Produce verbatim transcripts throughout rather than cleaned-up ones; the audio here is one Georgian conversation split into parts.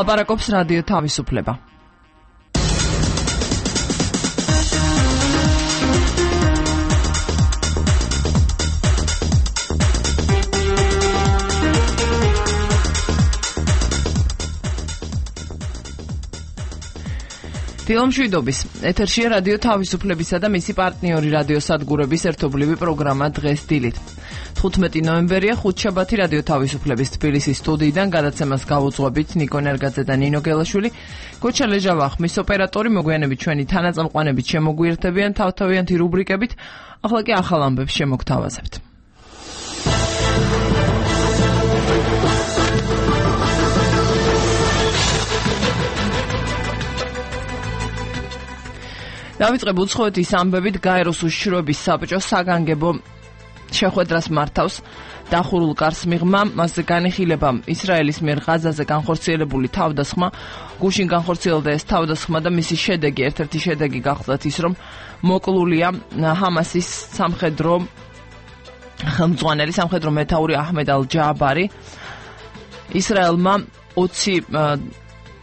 ლაპარაკობს რადიო თავისუფლება. დილომშვიდობის ეთერშია რადიო თავისუფლებისა და მისი პარტნიორი რადიო სადგურების ერთობლივი პროგრამა დღეს დილით. თხუთმეტი ნოემბერია, ხუთშაბათი რადიო თავისუფლების თბილისის სტუდიიდან გადაცემას გავუძღვებით ნიკო ნერგაძე და ნინო გელაშვილი. გოჩა ლეჟავა ხმის ოპერატორი, მოგვიანებით ჩვენი თანაწამყვანებით შემოგვიერთებიან თავთავიანთი რუბრიკებით. ახლა კი ახალ ამბებს შემოგთავაზებთ. დავიწყებ უცხოეთის ამბებით. გაეროს უშიშროების საბჭოს საგანგებო შეხვედრას მართავს დახურულ კარს მიღმა, მასზე განიხილება ისრაელის მიერ ღაზაზე განხორციელებული თავდასხმა, გუშინ განხორციელდა ეს თავდასხმა და მისი შედეგი, ერთ-ერთი შედეგი გახლდათ ის, რომ მოკლულია ჰამასის სამხედრო ხელმძღვანელი, სამხედრო მეთაური აჰმედ ალ-ჯააბარი. ისრაელმა ოცი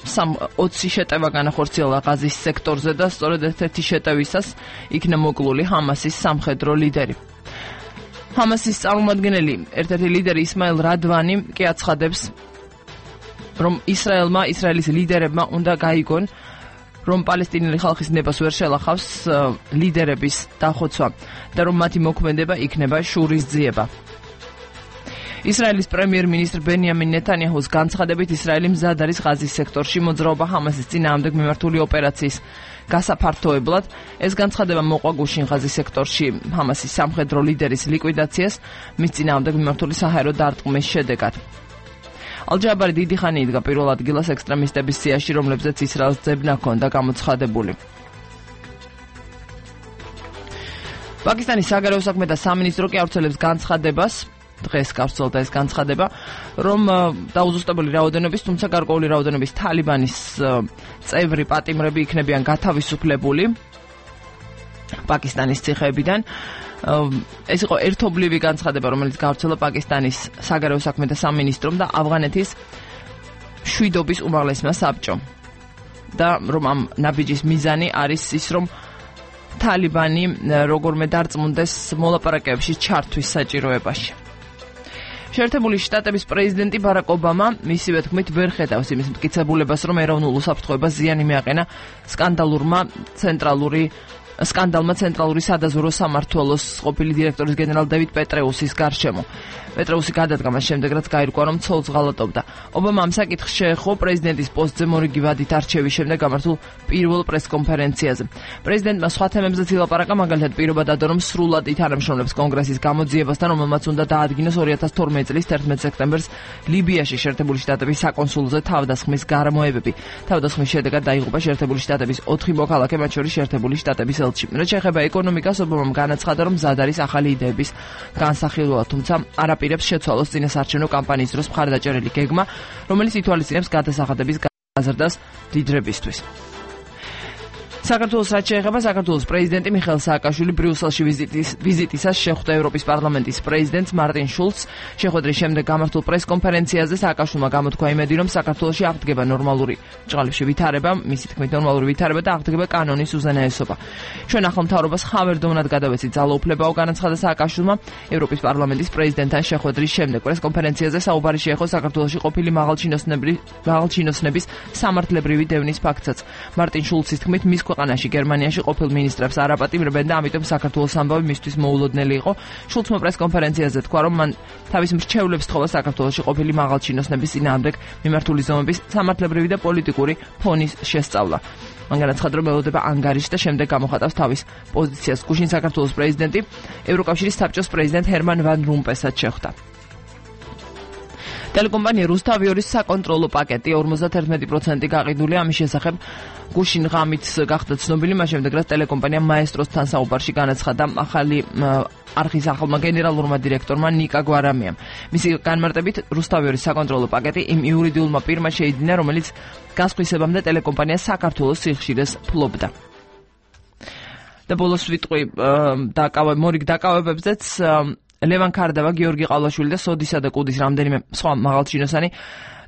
სამ ოცი შეტევა განახორციელა ღაზის სექტორზე და სწორედ ერთ-ერთი შეტევისას იქნა მოკლული ჰამასის სამხედრო ლიდერი. ჰამასის წარმომადგენელი, ერთ-ერთი ლიდერი ისმაილ რადვანი კი აცხადებს, რომ ისრაელმა, ისრაელის ლიდერებმა უნდა გაიგონ, რომ პალესტინელი ხალხის ნებას ვერ შელახავს ლიდერების დახოცვა და რომ მათი მოქმედება იქნება შურისძიება. ისრაელის პრემიერ-მინისტრ ბენიამინ ნეტანიაჰუს განცხადებით, ისრაელი მზად არის ღაზის სექტორში მოძრაობა ჰამასის წინააღმდეგ მიმართული ოპერაციის გასაფართოებლად. ეს განცხადება მოყვა გუშინ ღაზის სექტორში ჰამასის სამხედრო ლიდერის ლიკვიდაციას მის წინააღმდეგ მიმართული საჰაერო დარტყმის შედეგად. ალ-ჯააბარი დიდი ხანი იდგა პირველ ადგილას ექსტრემისტების სიაში, რომლებზეც ისრაელს ძებნა ჰქონდა გამოცხადებული. პაკისტანის საგარეო საქმეთა სამინისტრო კი ავრცელებს განცხადებას, დღეს გავრცელდა ეს განცხადება, რომ დაუზუსტებელი რაოდენობის, თუმცა გარკვეული რაოდენობის თალიბანის წევრი პატიმრები იქნებიან გათავისუფლებული პაკისტანის ციხეებიდან. ეს იყო ერთობლივი განცხადება, რომელიც გავრცელდა პაკისტანის საგარეო საქმეთა სამინისტრომ და ავღანეთის შვიდობის უმაღლესმა საბჭომ. და რომ ამ ნაბიჯის მიზანი არის ის, რომ თალიბანი როგორმე დარწმუნდეს მოლაპარაკებებში ჩართვის საჭიროებაში. შეერთებული შტატების პრეზიდენტი ბარაკ ობამა მისივე თქმით ვერ ხედავს იმის მტკიცებულებას, რომ ეროვნულ უსაფრთხოებას ზიანი მიაყენა სკანდალურმა ცენტრალური სკანდალმა ცენტრალური სადაზვერვო სამმართველოს ყოფილი დირექტორის გენერალ დევიდ პეტრეუსის გარშემო. პეტრეუსი გადადგა მას შემდეგ, რაც გაირკვა, რომ ცოლს ღალატობდა. ობამა ამ საკითხს შეეხო პრეზიდენტის პოსტზე მორიგი ვადით არჩევის შემდეგ გამართულ პირველ პრესკონფერენციაზე. პრეზიდენტმა სხვა თემებზეც ილაპარაკა, მაგალითად პირობა დადო, რომ სრულად ითანამშრომლებს კონგრესის გამოძიებასთან, რომელმაც უნდა დაადგინოს ორი ათას თორმეტი წლის თერთმეტ სექტემბერს ლიბიაში შეერთებული შტატების საკონსულზე თავდასხმის გარემოებები. თავდასხმის შედეგად დაიღუპა შეერთებული შტატების ოთხი მოქალაქე, მათ შორის შეერთებული შტატების ელჩი. რაც შეეხება ეკონომიკას, ობამამ განაცხადა, რომ მზად არის ახალი იდეების განსახილვლა, თუმცა არაპირებს შეცვალოს წინასარჩევნო კამპანიის დროს მხარდაჭერილი გეგმა, რომელიც ითვალისწინებს გადასახადების გაზრდას მდიდრებისთვის. საქართველოს რაც შეეხება, საქართველოს პრეზიდენტი მიხეილ სააკაშვილი ბრიუსელში ვიზიტის ვიზიტისას შეხვდა ევროპის პარლამენტის პრეზიდენტს მარტინ შულცს. შეხვედრის შემდეგ გამართულ პრესკონფერენციაზე სააკაშვილმა გამოთქვა იმედი, რომ საქართველოში აღდგება ნორმალური ჭყალებში ვითარება, მისი თქმით ნორმალური ვითარება და აღდგება კანონის უზენაესობა. ჩვენ ახალ მთავრობას ხავერდოვნად გადავეცით ძალაუფლებაო, განაცხადა სააკაშვილმა ევროპის პარლამენტის პრეზიდენტთან შეხვედრის შემდეგ. პრესკონფერენციაზე საუბარი შეეხო საქართველოში ყოფილი მაღალჩინოსნების სამართლებრივი დევნის ფაქტსაც. მარტინ შულცის თქმით, მის ქვეყანაში გერმანიაში ყოფილ მინისტრებს არ აპატიმრებენ და ამიტომ საქართველოს ამბავი მისთვის მოულოდნელი იყო. შულცმა პრესკონფერენციაზე თქვა, რომ მან თავის მრჩევლებს თხოვა საქართველოში ყოფილი მაღალჩინოსნების წინააღმდეგ მიმართული ზომების სამართლებრივი და პოლიტიკური ფონის შესწავლა. მან განაცხადა, რომ ელოდება ანგარიშს და შემდეგ გამოხატავს თავის პოზიციას. გუშინ საქართველოს პრეზიდენტი ევროკავშირის საბჭოს პრეზიდენტ ჰერმან ვან რომპესაც შეხვდა. ტელეკომპანია რუსთავიორის საკონტროლო პაკეტი ორმოცდაერთმეტი პროცენტი გაყიდულია. ამის შესახებ გუშინ ღამით გახდა ცნობილი, მას შემდეგ რაც ტელეკომპანია მაესტროსთან საუბარში განაცხადა ახალი არხის ახალმა გენერალურმა დირექტორმა ნიკა გვარამიამ. მისი განმარტებით, რუსთავიორის საკონტროლო პაკეტი იმ იურიდიულმა პირმა შეიძინა, რომელიც გასხვისებამდე ტელეკომპანია საქართველოს სიხშირეს ფლობდა. და ბოლოს ვიტყვი დაკავე მორიგ დაკავებებზეც ლევან ქარდავა, გიორგი ყავლაშვილი და სოდისა და კუდის რამდენიმე სხვა მაღალჩინოსანი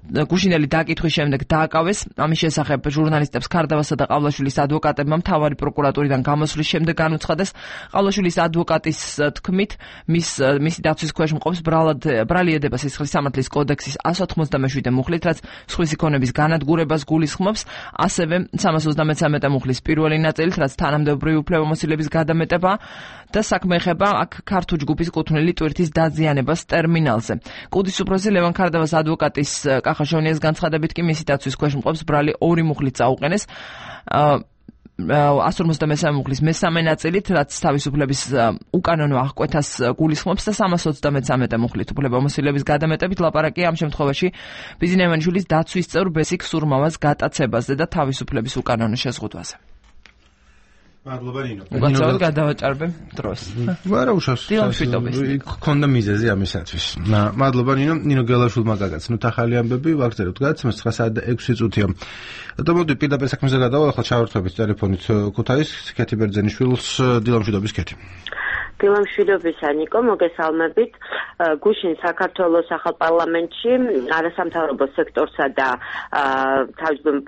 გუშინელი დაკითხვის შემდეგ დააკავეს. ამის შესახებ ჟურნალისტებს ქარდავასა და ყავლაშვილის ადვოკატებმა მთავარი პროკურატურიდან გამოსვლის შემდეგ განუცხადეს. ყავლაშვილის ადვოკატის თქმით, მის მისი დაცვის ქვეშ მყოფს ბრალი ედება სისხლის სამართლის კოდექსის εκατს ოცდამეშვიდე მუხლით, რაც სხვისი ქონების განადგურებას გულისხმობს, ასევე სამას ოცდამეცამეტე მუხლის პირველი ნაწილით, რაც თანამდებობრივი უფლებამოსილების გადამეტება და საქმე ეხება აქ ქართულ ჯგუფის კუთვნილი ტვირთის დაზიანებას ტერმინალზე. კუდის უფროსი ლევან ქარდავას ადვოკატის კახაშონიას განცხადებით კი მისი დაცვის ქვეშ მყოფს ბრალი ორი მუხლით წაუყენეს. εκατს ორმოცდამესამე მუხლის მესამე ნაწილით, რაც თავისუფლების უკანონო აღკვეთას გულისხმობს და სამას ოცდამეცამეტე მუხლით უფლებამოსილების გადამეტებით ლაპარაკია ამ შემთხვევაში ბიზნესმენის დაცვის წევრ ბესიკ სურმავას გატაცებაზე და თავისუფლების უკანონო შეზღუდვაზე. მადლობა ნინო. უკაცრავად გადავაჭარბე დროს. არა უშავს. გქონდა მიზეზი ამისათვის. მადლობა ნინო. ნინო გელაშვილმა გაგაც. ნუ ახალი ამბები ვაგზავნებთ გადაცემას ცხრა საათი და ექვსი წუთია. და მოდი პირდაპირ საქმეზე გადავალ, ახლა ჩავერთვებით ტელეფონით ქუთაისს ქეთი ბერძენიშვილს. დილამშვიდობის ქეთი. დილამშვიდობისა ნიკო, მოგესალმებით. გუშინ საქართველოს ახალ პარლამენტში არასამთავრობო სექტორსა და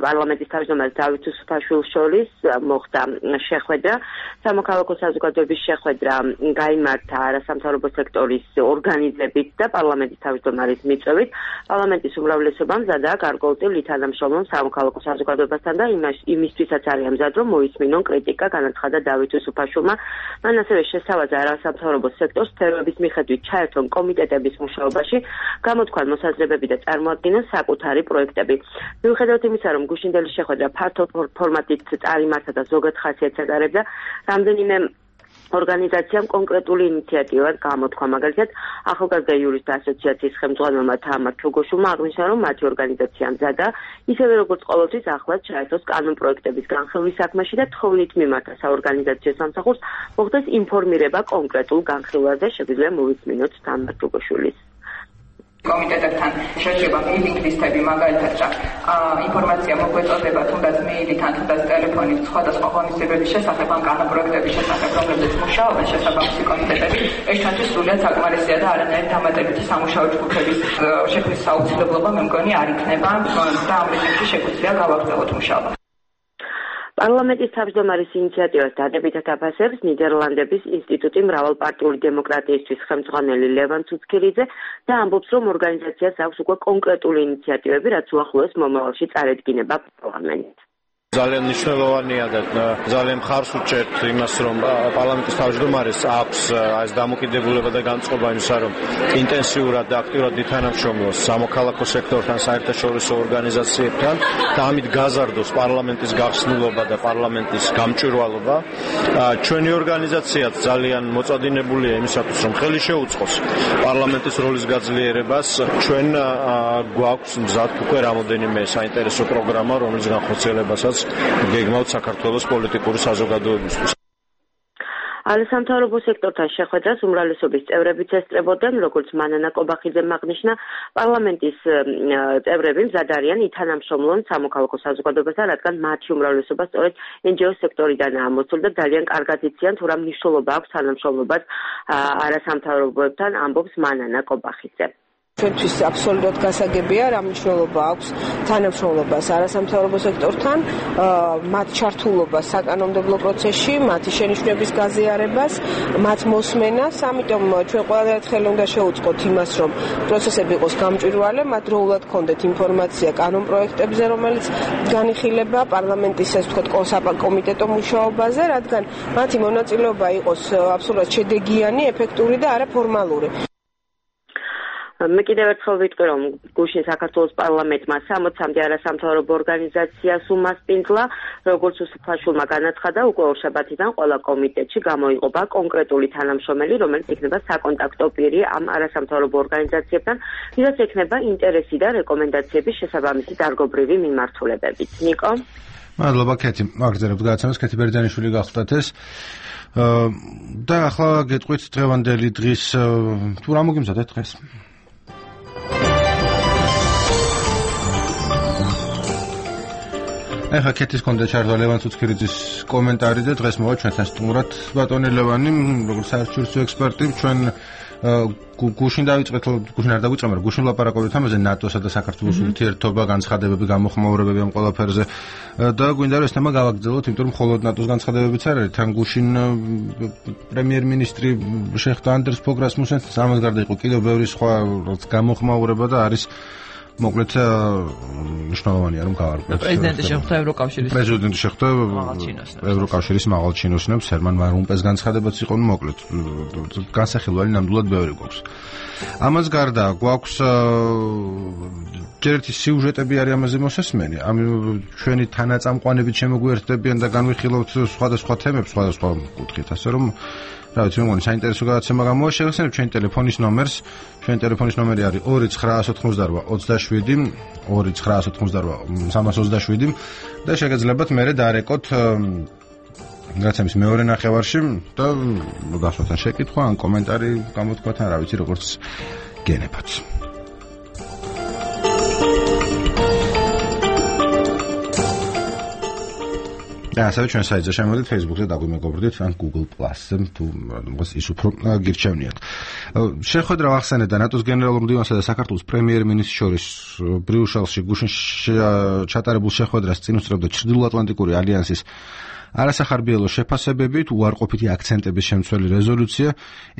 პარლამენტის თავმჯდომარე დავით უსუფაშვილს შორის მოხდა შეხვედრა. სამოქალაქო საზოგადოების შეხვედრა გაიმართა არასამთავრობო სექტორის ორგანიზებით და პარლამენტის თავმჯდომარის მიწვევით. პარლამენტის უმრავლესობამ მზადაა გარკვეულწილ თანამშრომლობ სამოქალაქო საზოგადოებასთან და იმისთვისაც არის ამზად, რომ მოისმინონ კრიტიკა, განაცხადა დავით უსუფაშვილმა. მან ასევე შესთავაზა არასამთავრობო სექტორს სფეროების მიხედვით ჩაერთონ კომიტეტების მუშაობაში, გამოთქვან მოსაზრებები და წარმოადგინონ საკუთარი პროექტები. მიუხედავად იმისა, რომ გუშინდელი შეხვედრა ფართო ფორმატით წარიმართა და ზოგად ხასიათს ატარებდა, რამდენიმე ორგანიზაციამ კონკრეტული ინიციატივა გამოთქვა, მაგალითად, ახალგაზრდა იურისტთა ასოციაციის ხელმძღვანელმა თამარ ჩოგოშულმა აღნიშნა, რომ მათი ორგანიზაცია მზადა, ისევე როგორც ყოველთვის ახლად ჩაერთოს კანონ პროექტების განხილვის საქმეში და თხოვნით მიმართა საორგანიზაციო სამსახურს, მოხდეს ინფორმირება კონკრეტულ განხილვაზე. შეგვიძლია მოვისმინოთ თამარ ჩოგოშულის. კომიტეტებთან შეშება მეილინგ ლისტები, მაგალითად, ინფორმაცია მოგვეწოდება თუნდაც მეილიდან, თუნდაც ტელეფონით სხვადასხვა ღონისძიებების შესახებ, ან კანონპროექტების შესახებ, რომლებიც მუშაობენ შესაბამისი კომიტეტები. ეს ჩვენთვის სრულიად საკმარისია და არანაირი დამატებითი სამუშაო ჯგუფების შექმნის საუცილებლობა მე მგონი არ იქნება და ამ რეგიონში შეგვიძლია გავაგრძელოთ მუშაობა. პარლამენტის თავმჯდომარის ინიციატივას დადებითად აფასებს ნიდერლანდების ინსტიტუტი მრავალპარტიული დემოკრატიისთვის ხელმძღვანელი ლევან ცუცქირიძე და ამბობს, რომ ორგანიზაციას აქვს უკვე კონკრეტული ინიციატივები, რაც უახლოეს მომავალში წარედგინება პარლამენტით. ძალიან მნიშვნელოვანია და ძალიან მხარს უჭერთ იმას, რომ პარლამენტის თავმჯდომარეს აქვს ეს დამოკიდებულება და განწყობა იმისა, რომ ინტენსიურად და აქტიურად ითანამშრომლოს სამოქალაქო სექტორთან, საერთაშორისო ორგანიზაციებთან და ამით გაზარდოს პარლამენტის გახსნილობა და პარლამენტის გამჭვირვალობა. ჩვენი ორგანიზაციაც ძალიან მოწადინებულია იმისათვის, რომ ხელი შეუწყოს პარლამენტის როლის გაძლიერებას. ჩვენ გვაქვს მზად უკვე რამოდენიმე საინტერესო პროგრამა, რომლის განხორციელებასაც გეგმავთ საქართველოს პოლიტიკური საზოგადოებისთვის. არასამთავრობო სექტორთან შეხვედრას უმრავლესობის წევრებიც ესწრებოდნენ, როგორც მანანა კობახიძემ აღნიშნა, პარლამენტის წევრები მზად არიან ითანამშრომლონ სამოქალაქო საზოგადოებასთან, რადგან მათი უმრავლესობა სწორედ εν ჯი ო სექტორიდანაა მოსული და ძალიან კარგად იციან, თუ რა მნიშვნელობა აქვს თანამშრომლობას არასამთავრობოებთან, ამბობს მანანა კობახიძე. ჩვენთვის აბსოლუტურად გასაგებია რა მნიშვნელობა აქვს თანამშრომლობას არასამთავრობო სექტორთან, მათ ჩართულობას საკანონმდებლო პროცესში, მათი შენიშვნების გაზიარებას, მათ მოსმენას, ამიტომ ჩვენ ყველადერთხელ უნდა შევუწყოთ იმას, რომ პროცესები იყოს გამჭვირვალე, მათ დროულად ქონდეთ ინფორმაცია კანონ პროექტებზე, რომელიც განიხილება პარლამენტის ეს ვთქვათ კომიტეტო მუშაობაზე, რადგან მათი მონაწილეობა იყოს აბსოლუტურად შედეგიანი, ეფექტური და არაფორმალური. მე კიდევ ერთხელ ვიტყვი, რომ გუშინ საქართველოს პარლამენტმა სამოცამდე არასამთავრობო ორგანიზაციას უმასპინძლა, როგორც უსუფაშვილმა განაცხადა, უკვე ორშაბათიდან ყველა კომიტეტში გამოიყოფა კონკრეტული თანამშრომელი, რომელიც იქნება საკონტაქტო პირი ამ არასამთავრობო ორგანიზაციებთან, ვისაც ექნება ინტერესი და რეკომენდაციების შესაბამისი დარგობრივი მიმართულებებით. ნიკო? მადლობა ქეთი, აგრძელებთ გადაცემას, ქეთი ბერძენიშვილი გახლდათ ეს. და ახლა გეტყვით დღევანდელი დღის თუ რა მოგიმზადეთ დღეს? ეხა კეთის კონდა ჩარდა ლევან ცუცქირიძის კომენტარი და დღეს მოვა ჩვენთან სტუმრად ბატონი ლევანი, როგორც საერთაშორისო ექსპერტი, ჩვენ გუშინ დავიწყეთ, გუშინ არ დავიწყე, მაგრამ გუშინ ლაპარაკობთ ამაზე ნატოსა და საქართველოს ურთიერთობა, განცხადებები, გამოხმაურებები ამ ყველაფერზე და გვინდა რომ ეს თემა გავაგრძელოთ, იმიტომ რომ მხოლოდ ნატოს განცხადებებიც არ არის, თან გუშინ პრემიერ-მინისტრი შეხვდა ანდერს ფოგ რასმუსენს, ამას გარდა იყო კიდევ ბევრი სხვა გამოხმაურება და არის მოკლედ მნიშვნელოვანია რომ გავარკვევთ. პრეზიდენტი შეხვდა ევროკავშირის პრეზიდენტი შეხვდა ევროკავშირის მაღალ ჩინოსნებს, ჰერმან ვან რომპეს განცხადებაც იყო, ну მოკლედ განსახილველი ნამდვილად ბევრი გვაქვს. ამას გარდა გვაქვს ჯერეთი სიუჟეტები არის ამაზე მოსასმენი. ამ ჩვენი თანაწამყვანებით შემოგვიერთდებიან და განვიხილავთ სხვადასხვა თემებს, სხვადასხვა კუთხით, ასე რომ რა ვიცი, მეგონი საინტერესო გადაცემა გამოვა. შევეხსენებ ჩვენი ტელეფონის ნომერს. ჩვენი ტელეფონის ნომერი არის ორი ცხრაას ოთხმოცდარბა ოცდაშვიდი ორი ცხრაას ოთხმოცდარბა სამას ოცდაშვიდი და შეგეძლებათ მერე დარეკოთ რაცემის მეორე ნახევარში და გასვათან შეკითხვა ან კომენტარი გამოთქვათ ან რა ვიცი როგორც გენებათ. და ასევე ჩვენ საიტზე შემოდით Facebook-ზე დაგვიმეგობრდით ან Google Plus-ზე თუ რაღაც ის უფრო გირჩევნიათ. შეხვედრა ახსენეთ და ნატოს გენერალურ მდივანსა და საქართველოს პრემიერ-მინისტრის შორის ბრიუშელში გუშინ ჩატარებულ შეხვედრას წინ უსწრებდა ჩრდილოატლანტიკური ალიანსის არასახარბიელო შეფასებებით უარყოფითი აქცენტების შემცველი რეზოლუცია.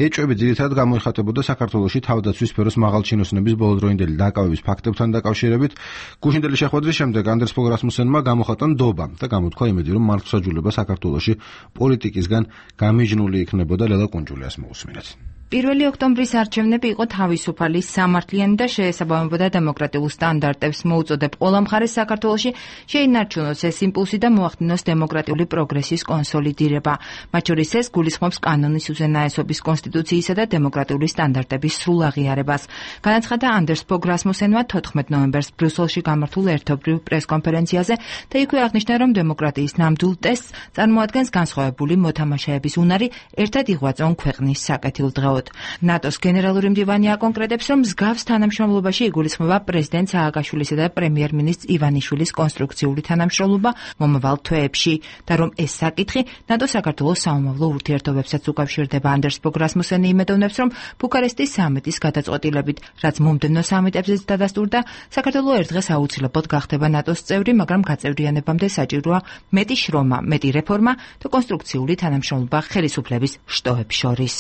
ეჭვები ძირითადად გამოიხატებოდა საქართველოში თავდაცვის სფეროს მაღალჩინოსნების ბოლოდროინდელი დაკავების ფაქტებთან დაკავშირებით. გუშინდელი შეხვედრის შემდეგ ანდერს ფოგ რასმუსენმა გამოხატა ნდობა და გამოთქვა იმედი, რომ მართლმსაჯულება საქართველოში პოლიტიკისგან გამიჯნული იქნებოდა. ლელა კუნჯულიას მოусმინეთ. პირველი ოქტომბრის არჩევნები იყო თავისუფალი, სამართლიანი და შეესაბამებოდა დემოკრატიულ სტანდარტებს, მოუწოდებ ყველა მხარეს საქართველოში შეინარჩუნოს ეს იმპულსი და მოახდინოს დემოკრატიული პროგრესის კონსოლიდირება. მათ შორის ეს გულისხმობს კანონის უზენაესობის, კონსტიტუციისა და დემოკრატიული სტანდარტების სრულ აღიარებას. განაცხადა ანდერს ფოგ რასმუსენმა თოთხმეტ ნოემბერს ბრიუსელში გამართულ ერთობლივ პრესკონფერენციაზე და იქვე აღნიშნა, რომ დემოკრატიის ნამდვილ ტესტს წარმოადგენს განსხვავებული მოთამაშეების უნარი ერთად იღვაწონ ქვეყნის საკეთილდღეოდ. ნატოს გენერალური მდივანი აკონკრეტებს, რომ მსგავს თანამშრომლობაში იგულისხმება პრეზიდენტ სააკაშვილისა და პრემიერ-მინისტრის ივანიშვილის კონსტრუქციული თანამშრომლობა მომავალ თვეებში და რომ ეს საკითხი ნატო-საქართველოს საომავლო ურთიერთობებსაც უკავშირდება. ანდერს ფოგ რასმუსენი იმედოვნებს, რომ ბუქარესტის სამიტის გადაწყვეტილებით, რაც მომდევნო სამიტებზეც დადასტურდა, საქართველო ერთ დღეს აუცილებლად გახდება ნატოს წევრი, მაგრამ გაწევრიანებამდე საჭიროა მეტი შრომა, მეტი რეფორმა და კონსტრუქციული თანამშრომლობა ხელისუფლების შტოებს შორის.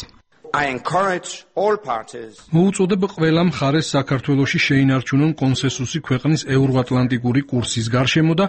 I encourage all parties. მოუწოდებ ყველა მხარეს საქართველოში შეინარჩუნონ კონსენსუსი ქვეყნის ევროატლანტიკური კურსის გარშემო და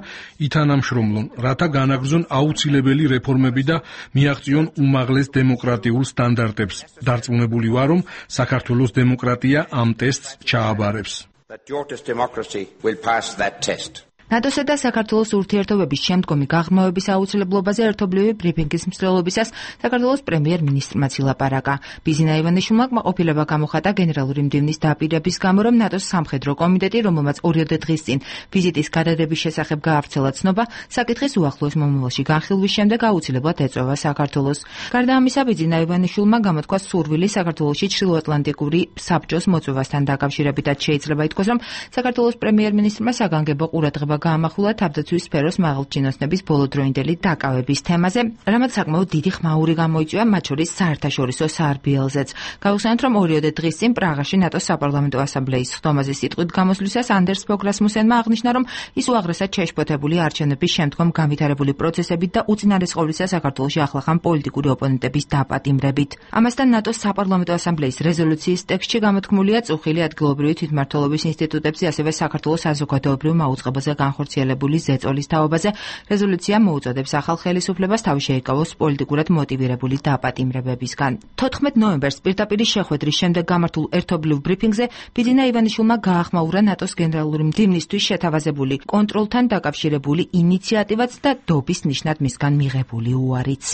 ითანამშრომლონ, რათა განაგრძონ აუცილებელი რეფორმები და მიაღწიონ უმაღლეს დემოკრატიულ სტანდარტებს. დარწმუნებული ვარ, რომ საქართველოს დემოკრატია ამ ტესტს ჩააბარებს. That your democracy will pass that test. ნატოსა და საქართველოს ურთიერთობების შემდგომი გაღრმავების აუცილებლობაზე ერთობლივი ბრიფინგის მსვლელობისას საქართველოს პრემიერ-მინისტრმაც ილაპარაკა. ბიზინა ივანიშვილმა კმაყოფილება გამოხატა გენერალური მდივნის დაპირების გამო, რომ ნატოს სამხედრო კომიტეტი, რომელმაც ორიოდე დღის წინ ვიზიტის გადადების შესახებ გაავრცელა ცნობა, საკითხის უახლოეს მომავალში განხილვის შემდეგ აუცილებლად ეწევა საქართველოს. გარდა ამისა, ბიზინა ივანიშვილმა გამოთქვა სურვილი საქართველოში ჩრდილოატლანტიკური საბჭოს მოწვევასთან დაკავშირებითაც შეიძლება ითქვას, რომ საქართველოს პრემიერ-მინისტრმა საგანგებო ყურადღება გაამახვილა თავდაცვის სფეროს მაღალჩინოსნების ბოლოდროინდელი დაკავების თემაზე, რამაც საკმაოდ დიდი ხმაური გამოიწვია, მათ შორის საერთაშორისო სარბიელზეც. გავხსენოთ, რომ ორიოდე დღის წინ პრაღაში ნატოს საპარლამენტო ასამბლეის ხდომაზე სიტყვით გამოსვლისას ანდერს ფოგ რასმუსენმა აღნიშნა, რომ ის უაღრესად შეშფოთებული არჩევნების შემდგომ განვითარებული პროცესებით და უწინარესყოვლისა საქართველოში ახლახან პოლიტიკური ოპონენტების დაპატიმრებით. ამასთან ნატოს საპარლამენტო ასამბლეის რეზოლუციის ტექსტში გამოთქმულია წუხილი ადგილობრივი თვითმმართველობის ინსტიტუტებზე, ასევე საქართველოს საზოგადოებრივ მაუწყებელზე განხორციელებული ზეწოლის თაობაზე. რეზოლუცია მოუწოდებს ახალ ხელისუფლებას თავი შეიკავოს პოლიტიკურად მოტივირებული დაპატიმრებებისგან. თოთხმეტ ნოემბერს პირდაპირი შეხვედრის შემდეგ გამართულ ერთობლივ ბრიფინგზე ბიძინა ივანიშვილმა გაახმაურა ნატოს გენერალური მდივნისთვის შეთავაზებული კონტროლთან დაკავშირებული ინიციატივაც და დობის ნიშნად მისგან მიღებული უარიც.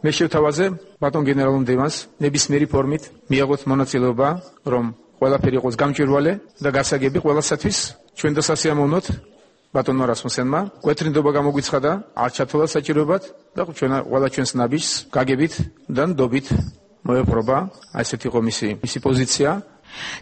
მე შევთავაზე ბატონ გენერალურ მდივანს ნებისმიერი ფორმით მიაღოთ მონაწილეობა, რომ ყველაფერი იყოს გამჭვირვალე და გასაგები ყველასათვის. ჩვენ და სასიამოვნოთ ბატონმა რასმუსენმა კვეთრინდობა გამოგვიცხადა, არ ჩათვალა საჭიროებად და ჩვენ ყველა ჩვენს ნაბიჯს გაგებით და ნდობით მოეპყრობა. ასეთი იყო მისი მისი პოზიცია.